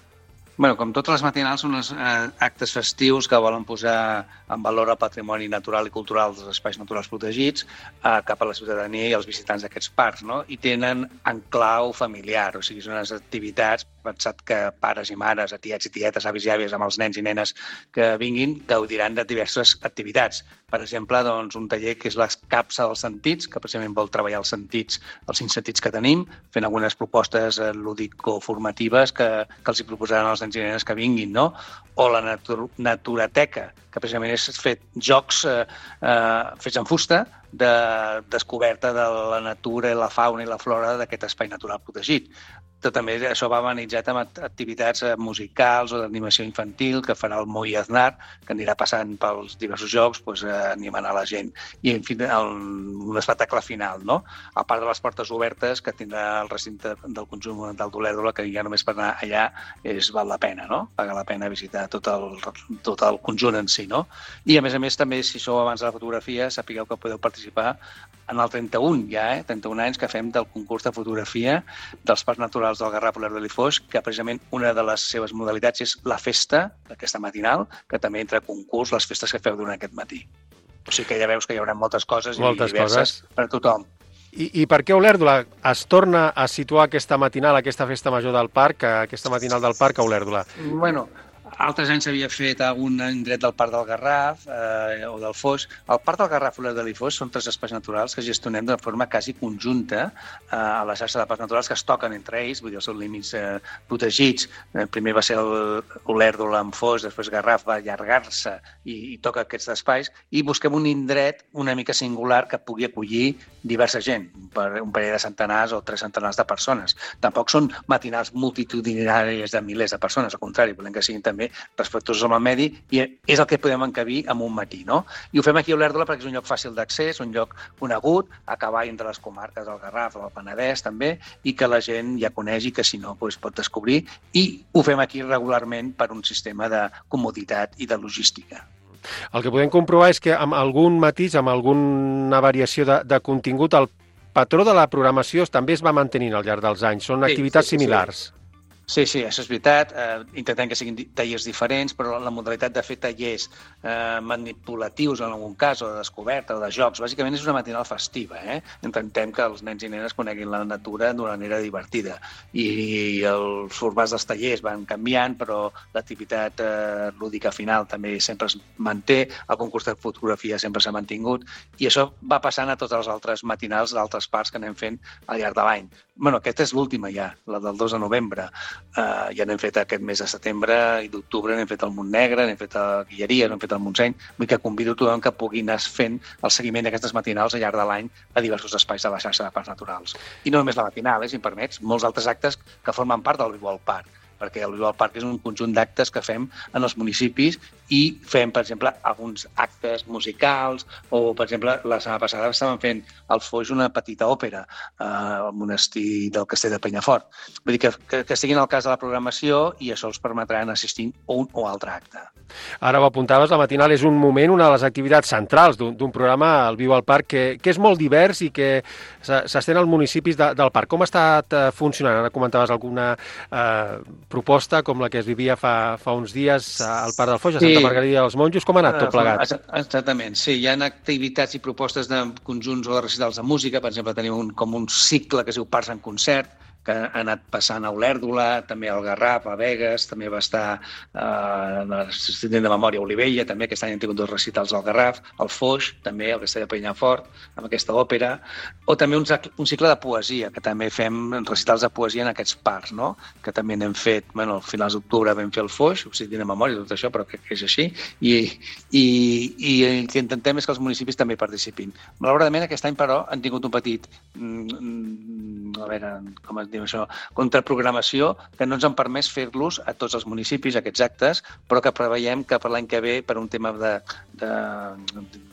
Bueno, com totes les matinals, són uns eh, actes festius que volen posar en valor el patrimoni natural i cultural dels espais naturals protegits eh, cap a la ciutadania i els visitants d'aquests parcs, no? I tenen en clau familiar, o sigui, són unes activitats, pensat que pares i mares, tiets i tietes, avis i àvies amb els nens i nenes que vinguin, gaudiran de diverses activitats. Per exemple, doncs, un taller que és la capsa dels sentits, que precisament vol treballar els sentits, els cinc sentits que tenim, fent algunes propostes eh, lúdico-formatives que, que els hi proposaran els nens i nenes que vinguin, no? O la natur Naturateca, que precisament és fet jocs eh, eh, fets en fusta de descoberta de la natura i la fauna i la flora d'aquest espai natural protegit. També això va amenitzat amb activitats musicals o d'animació infantil que farà el Moi Aznar, que anirà passant pels diversos jocs, doncs, animant a la gent. I, en fi, el, un espectacle final, no? A part de les portes obertes que tindrà el recinte del conjunt monumental d'Olèrdola, que ja només per anar allà és, val la pena, no? Paga la pena visitar tot el, tot el conjunt en si, no? I, a més a més, també, si sou abans de la fotografia, sapigueu que podeu participar en el trenta-un, ja, eh? trenta-un anys que fem del concurs de fotografia dels parcs naturals del Garraf, Olèrdola i Foix, que precisament una de les seves modalitats és la festa, aquesta matinal, que també entra a concurs les festes que feu durant aquest matí. O sigui que ja veus que hi haurà moltes coses
moltes
i diverses coses per a tothom.
I, I per què Olèrdola es torna a situar aquesta matinal, aquesta festa major del parc, aquesta matinal del parc a Olèrdola?
Bueno, altres anys s'havia fet algun indret del Parc del Garraf eh, o del Foix. El Parc del Garraf, Olèrdola i Foix són tres espais naturals que gestionem de forma quasi conjunta eh, a la xarxa de parcs naturals que es toquen entre ells, vull dir, els seus límits eh, protegits. Eh, primer va ser Olèrdola amb Foix, després Garraf va allargar-se i, i toca aquests espais i busquem un indret una mica singular que pugui acollir diversa gent, per un parell de centenars o tres centenars de persones. Tampoc són matinals multitudinaris de milers de persones, al contrari, volem que siguin també respectuosos amb el medi i és el que podem encabir en un matí, no? I ho fem aquí a Olèrdola perquè és un lloc fàcil d'accés, un lloc conegut, a cavall entre les comarques del Garraf o del Penedès també, i que la gent ja coneix i que si no doncs pot descobrir, i ho fem aquí regularment per un sistema de comoditat i de logística.
El que podem comprovar és que amb algun matís, amb alguna variació de, de contingut, el patró de la programació també es va mantenint al llarg dels anys. Són activitats sí, sí, similars.
Sí. Sí, sí, això és veritat. Eh, intentem que siguin tallers diferents, però la modalitat de fer tallers eh, manipulatius en algun cas, o de descoberta, o de jocs, bàsicament és una matinal festiva. Eh? Intentem que els nens i nenes coneguin la natura d'una manera divertida. I els formats dels tallers van canviant, però l'activitat eh, lúdica final també sempre es manté, el concurs de fotografia sempre s'ha mantingut, i això va passant a tots els altres matinals d'altres parcs que anem fent al llarg de l'any. Bueno, aquesta és l'última ja, la del dos de novembre. Uh, ja n'hem fet aquest mes de setembre i d'octubre, n'hem fet el Montnegre, n'hem fet a Guilleries, n'hem fet al Montseny. Vull que convido tothom que pugui anar fent el seguiment d'aquestes matinals al llarg de l'any a diversos espais de la xarxa de parcs naturals. I no només la matinal, eh, si em permets, molts altres actes que formen part del Viu al Parc, perquè el Viu al Parc és un conjunt d'actes que fem en els municipis i fem, per exemple, alguns actes musicals o, per exemple, la setmana passada estàvem fent al Foix una petita òpera eh, al monestir del Castell de Penyafort. Vull dir que, que, que estiguin al cas de la programació i això els permetrà anar assistint a un o altre acte.
Ara ho apuntaves, la matinal és un moment, una de les activitats centrals d'un programa, el Viu al Parc, que, que és molt divers i que s'estén als municipis de, del parc. Com ha estat eh, funcionant? Ara comentaves alguna eh, proposta com la que es vivia fa, fa uns dies al Parc del Foix, a Santa Santa Margarida dels Monjos. Com ha anat tot plegat?
Exactament, sí. Hi ha activitats i propostes de conjunts o de recitals de música. Per exemple, tenim un, com un cicle que es diu Parts en Concert, que ha anat passant a Olèrdola, també al Garraf, a Begues, també va estar eh, l'assistent de memòria a Olivella, també aquest any han tingut dos recitals al Garraf, al Foix, també al Castell de Penyafort, amb aquesta òpera, o també un, un cicle de poesia, que també fem recitals de poesia en aquests parcs, no? Que també n'hem fet, bueno, a finals d'octubre vam fer el Foix, l'assistent de memòria, tot això, però crec que és així, i, i, i el que intentem és que els municipis també participin. Malauradament, aquest any, però, han tingut un petit, mm, a veure, com es diu això, contraprogramació, que no ens han permès fer-los a tots els municipis, aquests actes, però que preveiem que per l'any que ve, per un tema de, de,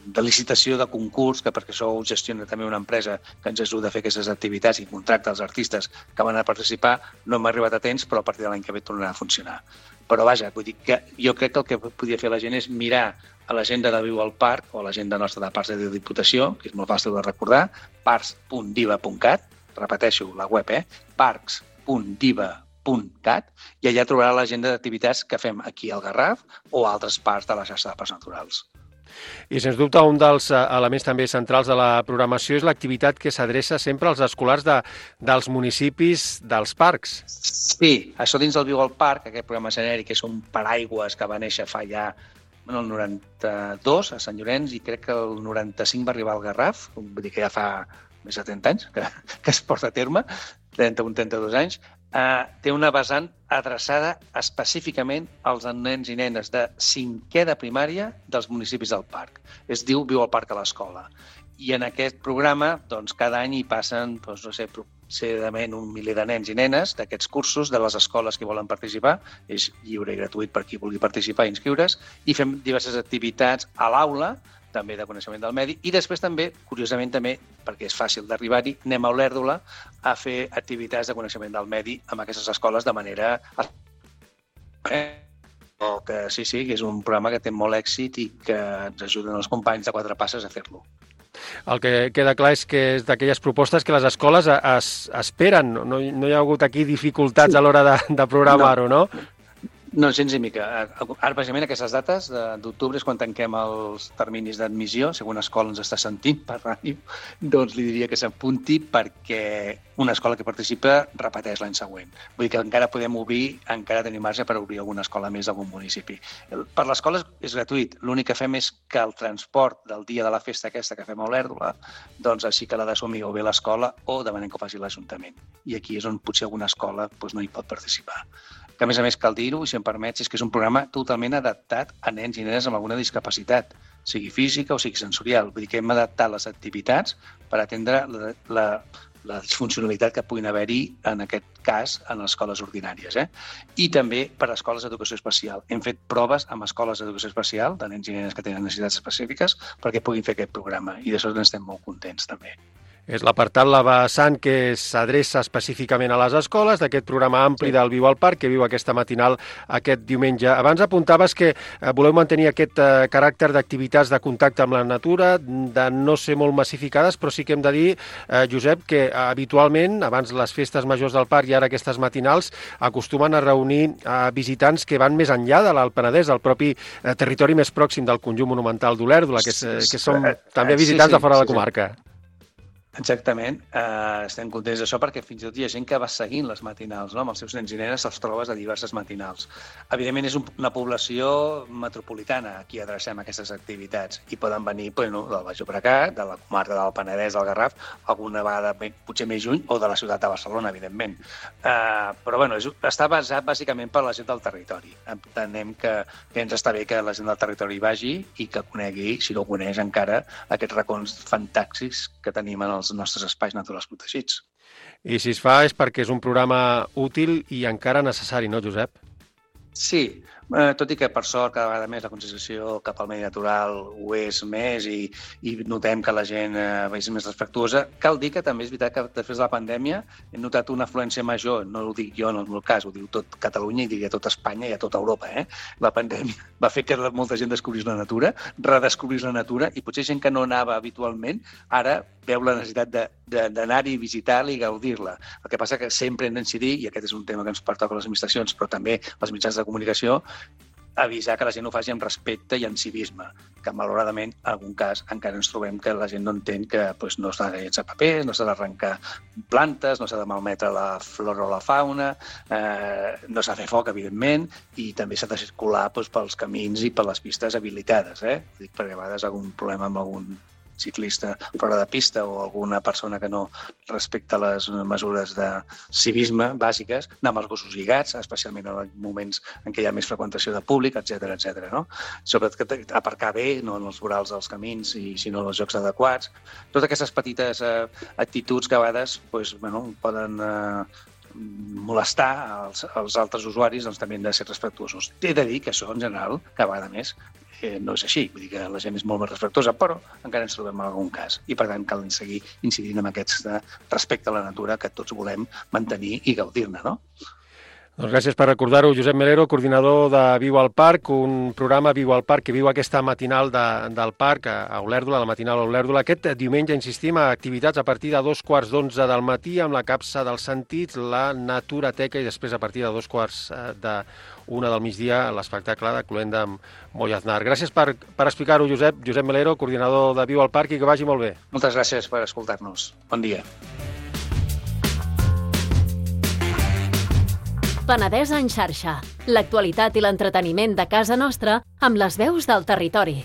de licitació, de concurs, que perquè això ho gestiona també una empresa que ens ajuda a fer aquestes activitats i contracta els artistes que van a participar, no hem arribat a temps, però a partir de l'any que ve tornarà a funcionar. Però vaja, vull dir que jo crec que el que podia fer la gent és mirar a l'agenda de Viu al Parc o a l'agenda nostra de Parcs de Diputació, que és molt fàcil de recordar, parcs punt diva punt cat, repeteixo, la web, eh? parcs punt diva punt cat, i allà trobarà l'agenda d'activitats que fem aquí al Garraf o a altres parts de la xarxa de parcs naturals.
I, sens dubte, un dels elements també centrals de la programació és l'activitat que s'adreça sempre als escolars de, dels municipis dels parcs.
Sí, això dins del Viu al Parc, aquest programa genèric, que és un paraigües que va néixer fa ja bueno, el noranta-dos a Sant Llorenç i crec que el noranta-cinc va arribar al Garraf, vull dir que ja fa més de trenta anys que, que es porta a terme, trenta-un trenta-dos anys, eh, té una vessant adreçada específicament als nens i nenes de cinquè de primària dels municipis del parc. Es diu Viu al Parc a l'Escola. I en aquest programa, doncs, cada any hi passen, doncs, no sé, aproximadament un miler de nens i nenes d'aquests cursos de les escoles que volen participar. És lliure i gratuït per qui vulgui participar i inscriure's. I fem diverses activitats a l'aula, també de coneixement del medi, i després també, curiosament també, perquè és fàcil d'arribar-hi, anem a Olèrdola a fer activitats de coneixement del medi amb aquestes escoles de manera... Eh, que sí, sí, que és un programa que té molt èxit i que ens ajuden els companys de Quatre Passes a fer-lo.
El que queda clar és que és d'aquelles propostes que les escoles es, esperen. No, no hi ha hagut aquí dificultats a l'hora de, de programar-ho, no?
No, gens ni mica. Ara, bàsicament, aquestes dates d'octubre és quan tanquem els terminis d'admissió. Si alguna escola ens està sentint per ràdio, doncs li diria que s'apunti perquè una escola que participa repeteix l'any següent. Vull dir que encara podem obrir, encara tenim marge per obrir alguna escola més d'algun municipi. Per l'escola és gratuït. L'únic que fem és que el transport del dia de la festa aquesta que fem a Olèrdola, doncs així que l'ha d'assumir o bé l'escola o demanem que ho faci l'Ajuntament. I aquí és on potser alguna escola doncs, no hi pot participar. Que a més a més cal dir-ho, i si em permets, és que és un programa totalment adaptat a nens i nenes amb alguna discapacitat, sigui física o sigui sensorial. Vull dir que hem adaptat les activitats per atendre la, la, la disfuncionalitat que puguin haver-hi, en aquest cas, en les escoles ordinàries. Eh? I també per a escoles d'educació especial. Hem fet proves amb escoles d'educació especial, de nens i nenes que tenen necessitats específiques, perquè puguin fer aquest programa. I d'això n'estem molt contents, també.
És l'apartat La Vessant que s'adreça específicament a les escoles d'aquest programa ampli del Viu al Parc que viu aquesta matinal aquest diumenge. Abans apuntaves que voleu mantenir aquest eh, caràcter d'activitats de contacte amb la natura, de no ser molt massificades, però sí que hem de dir, eh, Josep, que eh, habitualment, abans les festes majors del parc i ara aquestes matinals, acostumen a reunir eh, visitants que van més enllà de l'Alt Penedès, del propi eh, territori més pròxim del conjunt monumental d'Olèrdola, que, que són també visitants sí, sí, de fora de la comarca.
Exactament. Uh, estem contents d'això perquè fins i tot hi ha gent que va seguint les matinals, no? Amb els seus nens i nenes els trobes a diverses matinals. Evidentment és un, una població metropolitana a qui adrecem aquestes activitats i poden venir bueno, del Baix Llobregat, de la comarca del Penedès, del Garraf, alguna vegada potser més lluny o de la ciutat de Barcelona, evidentment. Uh, però bueno, és, està basat bàsicament per la gent del territori. Entenem que, que ens està bé que la gent del territori vagi i que conegui, si no ho coneix encara, aquests racons fantàstics que tenim en els nostres espais naturals protegits.
I si es fa és perquè és un programa útil i encara necessari, no, Josep?
Sí, eh, tot i que per sort cada vegada més la concienciació cap al medi natural ho és més i, i notem que la gent eh, és més respectuosa. Cal dir que també és veritat que després de la pandèmia hem notat una afluència major, no ho dic jo en el meu cas, ho diu tot Catalunya i diria tot Espanya i a tota Europa. Eh? La pandèmia va fer que molta gent descobrís la natura, redescobrís la natura i potser gent que no anava habitualment ara veu la necessitat d'anar-hi, visitar-la i gaudir-la. El que passa que sempre hem d'incidir, i aquest és un tema que ens pertoca a les administracions, però també als mitjans de comunicació, avisar que la gent ho faci amb respecte i amb civisme, que malauradament en algun cas encara ens trobem que la gent no entén que pues, no s'ha de llençar paper, no s'ha d'arrencar plantes, no s'ha de malmetre la flora o la fauna, eh, no s'ha de fer foc, evidentment, i també s'ha de circular pues, pels camins i per les pistes habilitades, eh? Dic, perquè a vegades algun problema amb algun ciclista fora de pista o alguna persona que no respecta les mesures de civisme bàsiques, anar amb els gossos lligats, especialment en moments en què hi ha més freqüentació de públic, etcètera, etcètera. No? Sobretot aparcar bé, no en els vorals dels camins, i sinó en els llocs adequats. Totes aquestes petites eh, actituds que a vegades pues, bueno, poden eh, molestar als, als altres usuaris, doncs també hem de ser respectuosos. He de dir que això, en general, cada vegada més, Eh, no és així, vull dir que la gent és molt més respectuosa, però encara ens trobem en algun cas i per tant cal seguir incidint en aquest respecte a la natura que tots volem mantenir i gaudir-ne, no?
Doncs gràcies per recordar-ho, Josep Melero, coordinador de Viu al Parc, un programa Viu al Parc que viu aquesta matinal de, del parc a Olèrdola, la matinal a Olèrdola. Aquest diumenge, insistim, a activitats a partir de dos quarts d'onze del matí amb la capsa dels sentits, la Naturateca, i després a partir de dos quarts de una del migdia l'espectacle de Cluenda amb Moll Aznar. Gràcies per, per explicar-ho, Josep. Josep Melero, coordinador de Viu al Parc, i que vagi molt bé.
Moltes gràcies per escoltar-nos. Bon dia.
Penedès en xarxa. L'actualitat i l'entreteniment de casa nostra amb les veus del territori.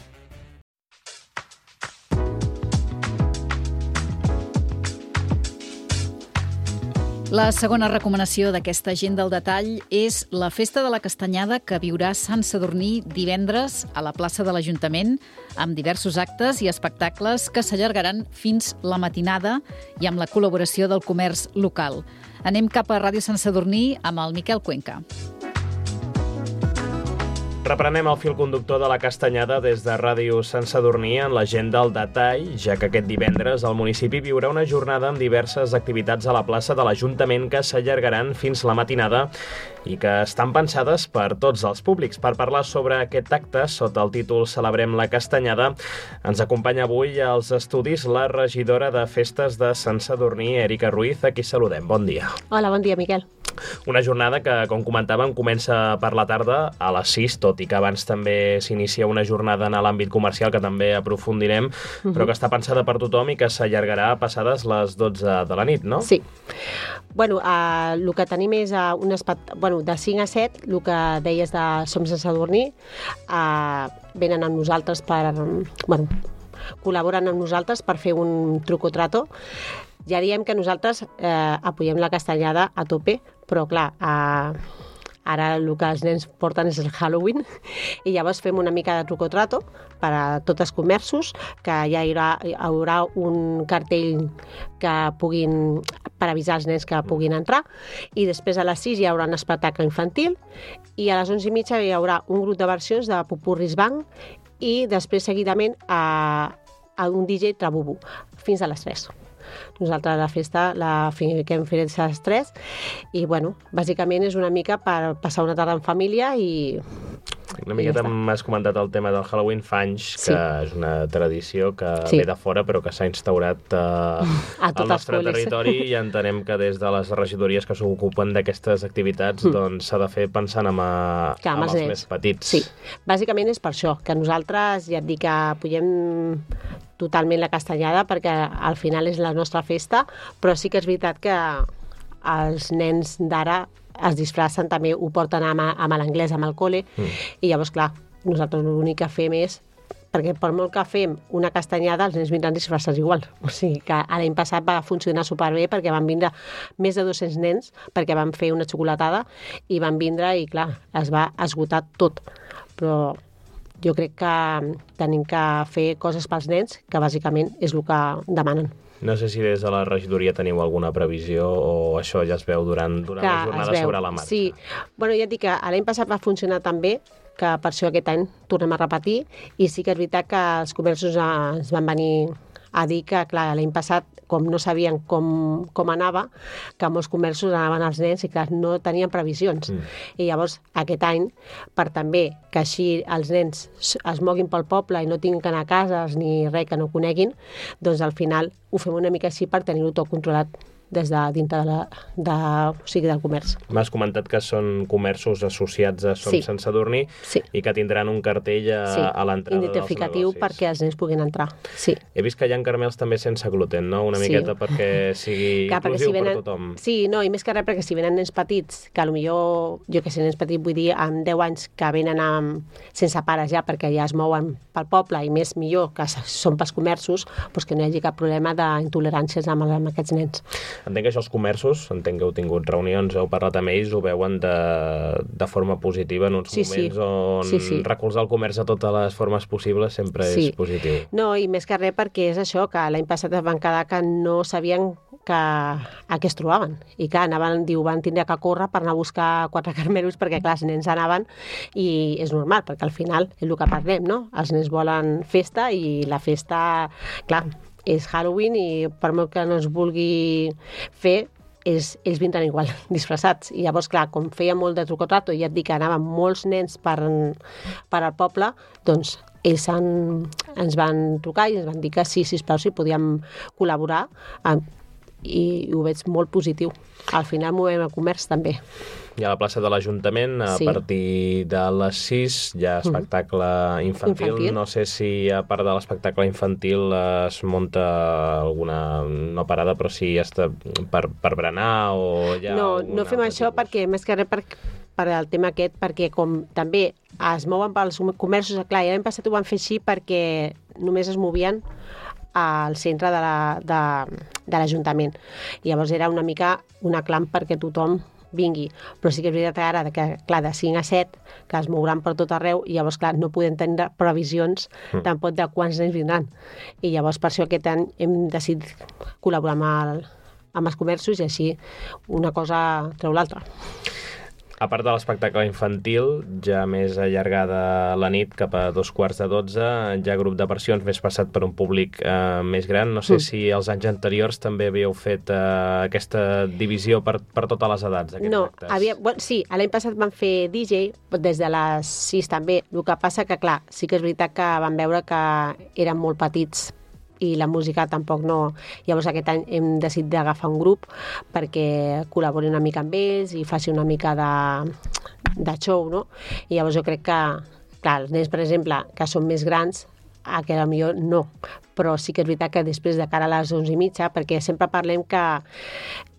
La segona recomanació d'aquesta agenda al detall és la Festa de la Castanyada, que viurà Sant Sadurní divendres a la plaça de l'Ajuntament, amb diversos actes i espectacles que s'allargaran fins la matinada i amb la col·laboració del comerç local. Anem cap a Ràdio Sant Sadurní amb el Miquel Cuenca.
Reprenem el fil conductor de la Castanyada des de Ràdio Sant Sadurní en l'agenda al detall, ja que aquest divendres el municipi viurà una jornada amb diverses activitats a la plaça de l'Ajuntament que s'allargaran fins la matinada i que estan pensades per tots els públics. Per parlar sobre aquest acte, sota el títol Celebrem la Castanyada, ens acompanya avui als estudis la regidora de Festes de Sant Sadurní, Èrica Ruiz, a qui saludem. Bon dia.
Hola, bon dia, Miquel.
Una jornada que, com comentàvem, comença per la tarda a les sis, tot i que abans també s'inicia una jornada en l'àmbit comercial que també aprofundirem, uh-huh. però que està pensada per tothom i que s'allargarà passades les dotze de la nit, no?
Sí. Bueno, uh, el que tenim és uh, un espect... bueno, de cinc a set, el que deies de Som Sant Sadurní, uh, venen amb nosaltres per... Bueno, col·laboren amb nosaltres per fer un truco trato. Ja diem que nosaltres eh, apoyem la castanyada a tope, però clar, eh, ara el que els nens porten és el Halloween i llavors fem una mica de truco trato per a tots els comerços, que ja hi haurà, hi haurà un cartell que puguin, per avisar els nens que puguin entrar, i després a les sis hi haurà un espectacle infantil i a les onze i mitja hi haurà un grup de versions de Pupurris Bang i després seguidament a, a un D J Trabubu fins a les tres. Nosaltres la festa la fiquem fins a les tres i, bueno, bàsicament és una mica per passar una tarda en família i...
Una miqueta m'has comentat el tema del Halloween fa anys, que sí. és una tradició que
sí.
ve de fora però que s'ha instaurat eh, al nostre territori i entenem que des de les regidories que s'ocupen d'aquestes activitats mm. doncs s'ha de fer pensant en, a,
que, amb
els
els
més petits.
Sí, bàsicament és per això, que nosaltres ja et dic que apoyem totalment la castanyada perquè al final és la nostra festa, però sí que és veritat que els nens d'ara es disfracen, també ho porten amb, amb l'anglès, amb el col·le, mm. i llavors, clar, nosaltres l'únic que fem és, perquè per molt que fem una castanyada, els nens vindran disfressats igual. O sigui que l'any passat va funcionar superbé perquè van vindre més de dos-cents nens perquè van fer una xocolatada i van vindre i, clar, es va esgotar tot. Però jo crec que tenim que fer coses pels nens, que bàsicament és el que demanen.
No sé si des de la regidoria teniu alguna previsió o això ja es veu durant, durant la jornada sobre la marxa.
Sí, bueno, ja et dic que l'any passat va funcionar tan bé que per això aquest any tornem a repetir i sí que és veritat que els comerços ens van venir a dir que, clar, l'any passat, com no sabien com, com anava, que molts comerços anaven als nens i, clar, no tenien previsions. Mm. I llavors, aquest any, per també que així els nens es moguin pel poble i no tinguin que anar a cases ni res que no coneguin, doncs al final ho fem una mica així per tenir-ho tot controlat des de dintre de la, de, o sigui, del comerç.
M'has comentat que són comerços associats a Som
Sí.
Sant Sadurní
Sí.
i que tindran un cartell a,
Sí,
a l'entrada dels
identificatiu
negocis.
perquè els nens puguin entrar. Sí.
He vist que hi ha caramels també sense gluten, no? Una
Sí.
miqueta perquè sigui
Clar, perquè
inclusiu
si venen,
per tothom.
Sí, no, i més que res perquè si venen nens petits, que potser, jo que sé, nens petits, vull dir, amb deu anys que venen amb, sense pares ja, perquè ja es mouen pel poble, i més millor que són pels comerços, doncs que no hi hagi cap problema d'intoleràncies amb, amb aquests nens.
Entenc que això els comerços, entenc que heu tingut reunions, heu parlat amb ells, ho veuen de, de forma positiva en uns
Sí, sí.
moments on
Sí, sí.
recolzar el comerç de totes les formes possibles sempre
Sí.
és positiu.
No, i més que res perquè és això, que l'any passat es van quedar que no sabien que, a què es trobaven. I clar, anaven, diu, van tindre que córrer per anar a buscar quatre carmelos perquè, clar, els nens anaven i és normal, perquè al final és el que parlem, no? Els nens volen festa i la festa, clar, és Halloween i per molt que no es vulgui fer, és, ells vindran igual, disfressats. I llavors, clar, com feia molt de truco-trato, i ja et dic que anaven molts nens per, per al poble, doncs ells han, ens van trucar i ens van dir que sí, sisplau, si podíem col·laborar, eh, i ho veig molt positiu. Al final movem el comerç també.
I a la plaça de l'Ajuntament, a
Sí.
partir de les sis, hi ha espectacle infantil.
Infantil.
No sé si a part de l'espectacle infantil es munta alguna, no parada, però sí està per, per berenar o hi ha
No,
algun
no fem
altre
això
tipus?
perquè, més que res, per, per al tema aquest, perquè com també es mouen pels comerços, clar, i l'any passat ho van fer així perquè només es movien al centre de la- de, de l'Ajuntament. I llavors era una mica una clam perquè tothom vingui. Però sí que és veritat ara que, clar, de cinc a set, que es mouran per tot arreu, i llavors, clar, no podem tenir previsions
Mm.
tampoc de quants nens vindran. I llavors, per això aquest any hem decidit col·laborar amb, el, amb els comerços i així una cosa treu l'altra.
A part de l'espectacle infantil, ja més allargada la nit, cap a dos quarts de dotze, hi ha grup de versions més passat per un públic eh, més gran. No sé
Mm.
si els anys anteriors també havíeu fet eh, aquesta divisió per, per totes les edats, aquests
No,
actes.
havia, bueno, sí, l'any passat van fer D J des de les sis també. El que passa que, clar, sí que és veritat que van veure que eren molt petits i la música tampoc no... Llavors aquest any hem decidit d'agafar un grup perquè col·labori una mica amb ells i faci una mica de, de show, no? I llavors jo crec que, clar, els nens, per exemple, que són més grans, a que potser no, però sí que és veritat que després de cara a les onze i mitja, perquè sempre parlem que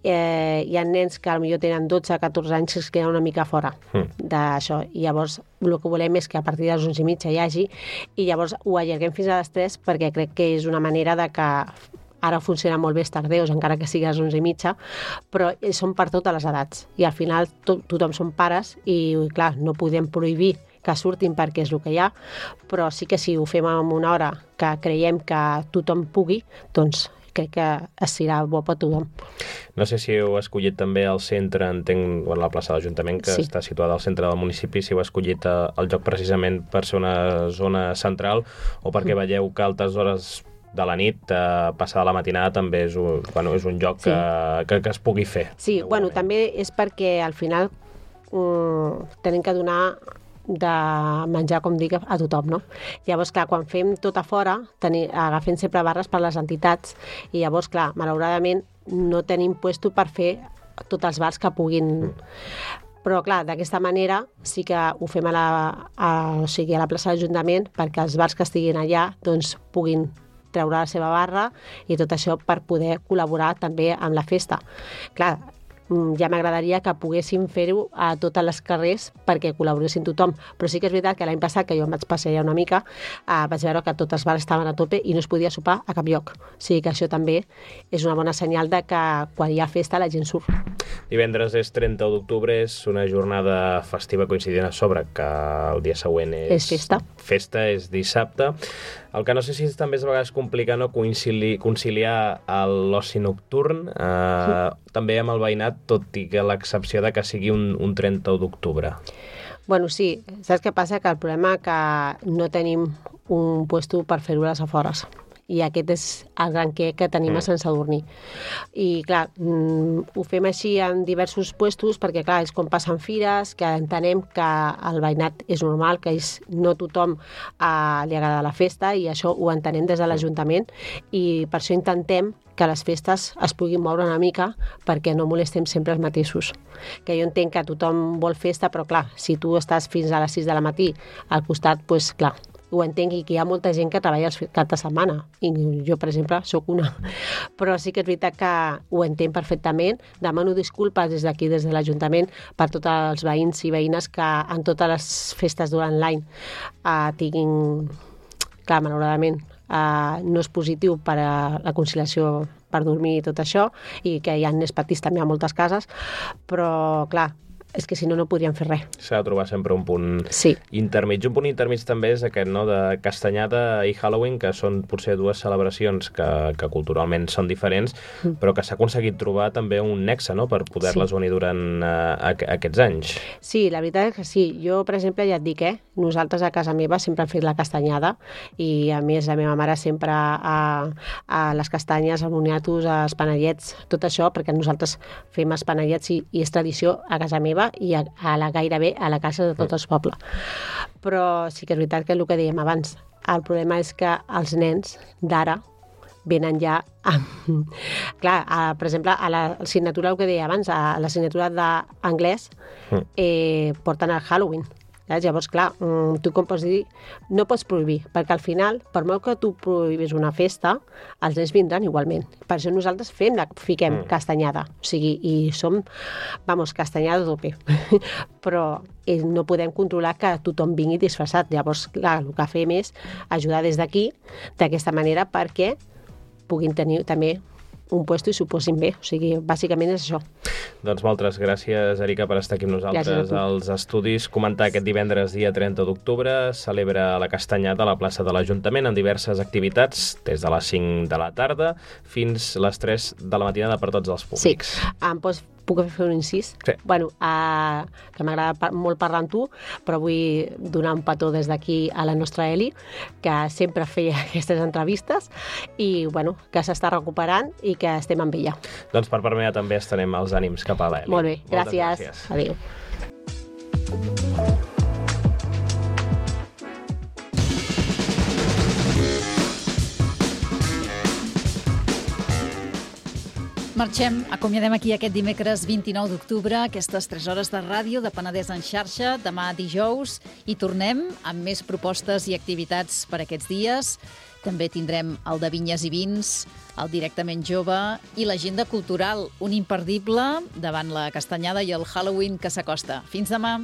eh, hi ha nens que potser tenen dotze, catorze anys que es queden una mica fora
Mm.
d'això, i llavors el que volem és que a partir de les onze i mitja hi hagi, i llavors ho allarguem fins a les tres perquè crec que és una manera de que ara funciona molt bé els tardeus, encara que sigui a les onze i mitja, però són per totes les edats, i al final to tothom són pares i, clar, no podem prohibir que surtin perquè és el que hi ha, però sí que si ho fem en una hora que creiem que tothom pugui, doncs crec que serà bo per tothom.
No sé si heu escollit també el centre, entenc, bueno, la plaça de l'Ajuntament, que
Sí.
està situada al centre del municipi, si heu escollit eh, el lloc precisament per ser una zona central o perquè
Mm.
veieu que a altres hores de la nit, eh, passada la matinada, també és un, bueno, és un lloc
Sí.
que, que, que es pugui fer.
Sí, bueno, també és perquè al final um, tenim que donar de menjar, com dic, a tothom, no? Llavors, clar, quan fem tot a fora, teni, agafem sempre barres per les entitats, i llavors, clar, malauradament no tenim puesto per fer tots els bars que puguin... Però, clar, d'aquesta manera sí que ho fem a la, a, o sigui, a la plaça de l'Ajuntament perquè els bars que estiguin allà doncs, puguin treure la seva barra i tot això per poder col·laborar també amb la festa. Clar, mm, ja m'agradaria que poguéssim fer-ho a totes les carrers perquè col·laboressin tothom, però sí que és veritat que l'any passat, que jo em vaig passejar una mica, eh, vaig veure que tots els bars estaven a tope i no es podia sopar a cap lloc. O sigui que això també és una bona senyal de que quan hi ha festa la gent surt.
Divendres és trenta d'octubre, és una jornada festiva coincidint a sobre, que el dia següent és...
És festa.
Festa, és dissabte. El que no sé si és també és a vegades complicar no concili conciliar l'oci nocturn eh, sí. també amb el veïnat, tot i que l'excepció de que sigui un, un trenta d'octubre.
Bueno, sí. Saps què passa? Que el problema és que no tenim un puesto per fer-ho a les afores. I aquest és el gran que, que tenim
Mm.
a Sant Sadurní. I, clar, mm, ho fem així en diversos puestos perquè, clar, és com passen fires, que entenem que el veïnat és normal, que és, no tothom eh, li agrada la festa, i això ho entenem des de l'Ajuntament, i per això intentem que les festes es puguin moure una mica perquè no molestem sempre els mateixos. Que jo entenc que tothom vol festa, però clar, si tu estàs fins a les sis de la matí al costat, doncs clar, ho entenc, i que hi ha molta gent que treballa els cap de setmana, i jo, per exemple, sóc una. Però sí que és veritat que ho entenc perfectament. Demano disculpes des d'aquí, des de l'Ajuntament, per tots els veïns i veïnes que en totes les festes durant l'any eh, tinguin... Clar, malauradament, eh, no és positiu per a la conciliació per dormir i tot això, i que hi ha nens petits també a moltes cases, però, clar, és que si no, no podríem fer res.
S'ha de trobar sempre un punt
sí.
intermig. Un punt intermig també és aquest, no?, de Castanyada i Halloween, que són potser dues celebracions que, que culturalment són diferents, mm. però que s'ha aconseguit trobar també un nexe, no?, per poder-les sí. unir durant uh, aquests anys.
Sí, la veritat és que sí. Jo, per exemple, ja et dic, eh? Nosaltres a casa meva sempre hem fet la castanyada, i a més la meva mare sempre a, a les castanyes, als moniatos, als panellets, tot això, perquè nosaltres fem els panellets i, i és tradició a casa meva i a, a la, gairebé a la casa de tot el poble. Però sí que és veritat que el que dèiem abans, el problema és que els nens d'ara venen ja amb... Clar, a, per exemple, a l'assignatura, el que deia abans, a l'assignatura d'anglès eh, porten el Halloween. Llavors, clar, tu com pots dir, no pots prohibir, perquè al final, per molt que tu prohibis una festa, els nens vindran igualment. Per això nosaltres fem la, fiquem mm. castanyada, o sigui, i som, vamos, castanyada a tope. Però eh, no podem controlar que tothom vingui disfressat. Llavors, clar, el que fem és ajudar des d'aquí, d'aquesta manera, perquè puguin tenir també un puesto i s'ho posin bé. O sigui, bàsicament és això.
Doncs moltes gràcies, Erica, per estar aquí amb nosaltres als estudis. Comentar aquest divendres, dia trenta d'octubre, celebra la Castanyada a la plaça de l'Ajuntament amb diverses activitats, des de les cinc de la tarda fins les tres de la matinada per tots els públics.
Sí, em pots puc fer un incís?
Sí.
Bueno, uh, que m'agrada par molt parlar amb tu, però vull donar un petó des d'aquí a la nostra Eli, que sempre feia aquestes entrevistes, i bueno, que s'està recuperant i que estem amb ella.
Doncs per part meva també estenem els ànims cap a l'Eli.
Molt bé, gràcies. gràcies. Adéu.
Marxem, acomiadem aquí aquest dimecres vint-i-nou d'octubre, aquestes tres hores de ràdio de Penedès en xarxa, demà dijous, i tornem amb més propostes i activitats per aquests dies. També tindrem el de Vinyes i Vins, el Directament Jove i l'agenda cultural, un imperdible davant la Castanyada i el Halloween que s'acosta. Fins demà!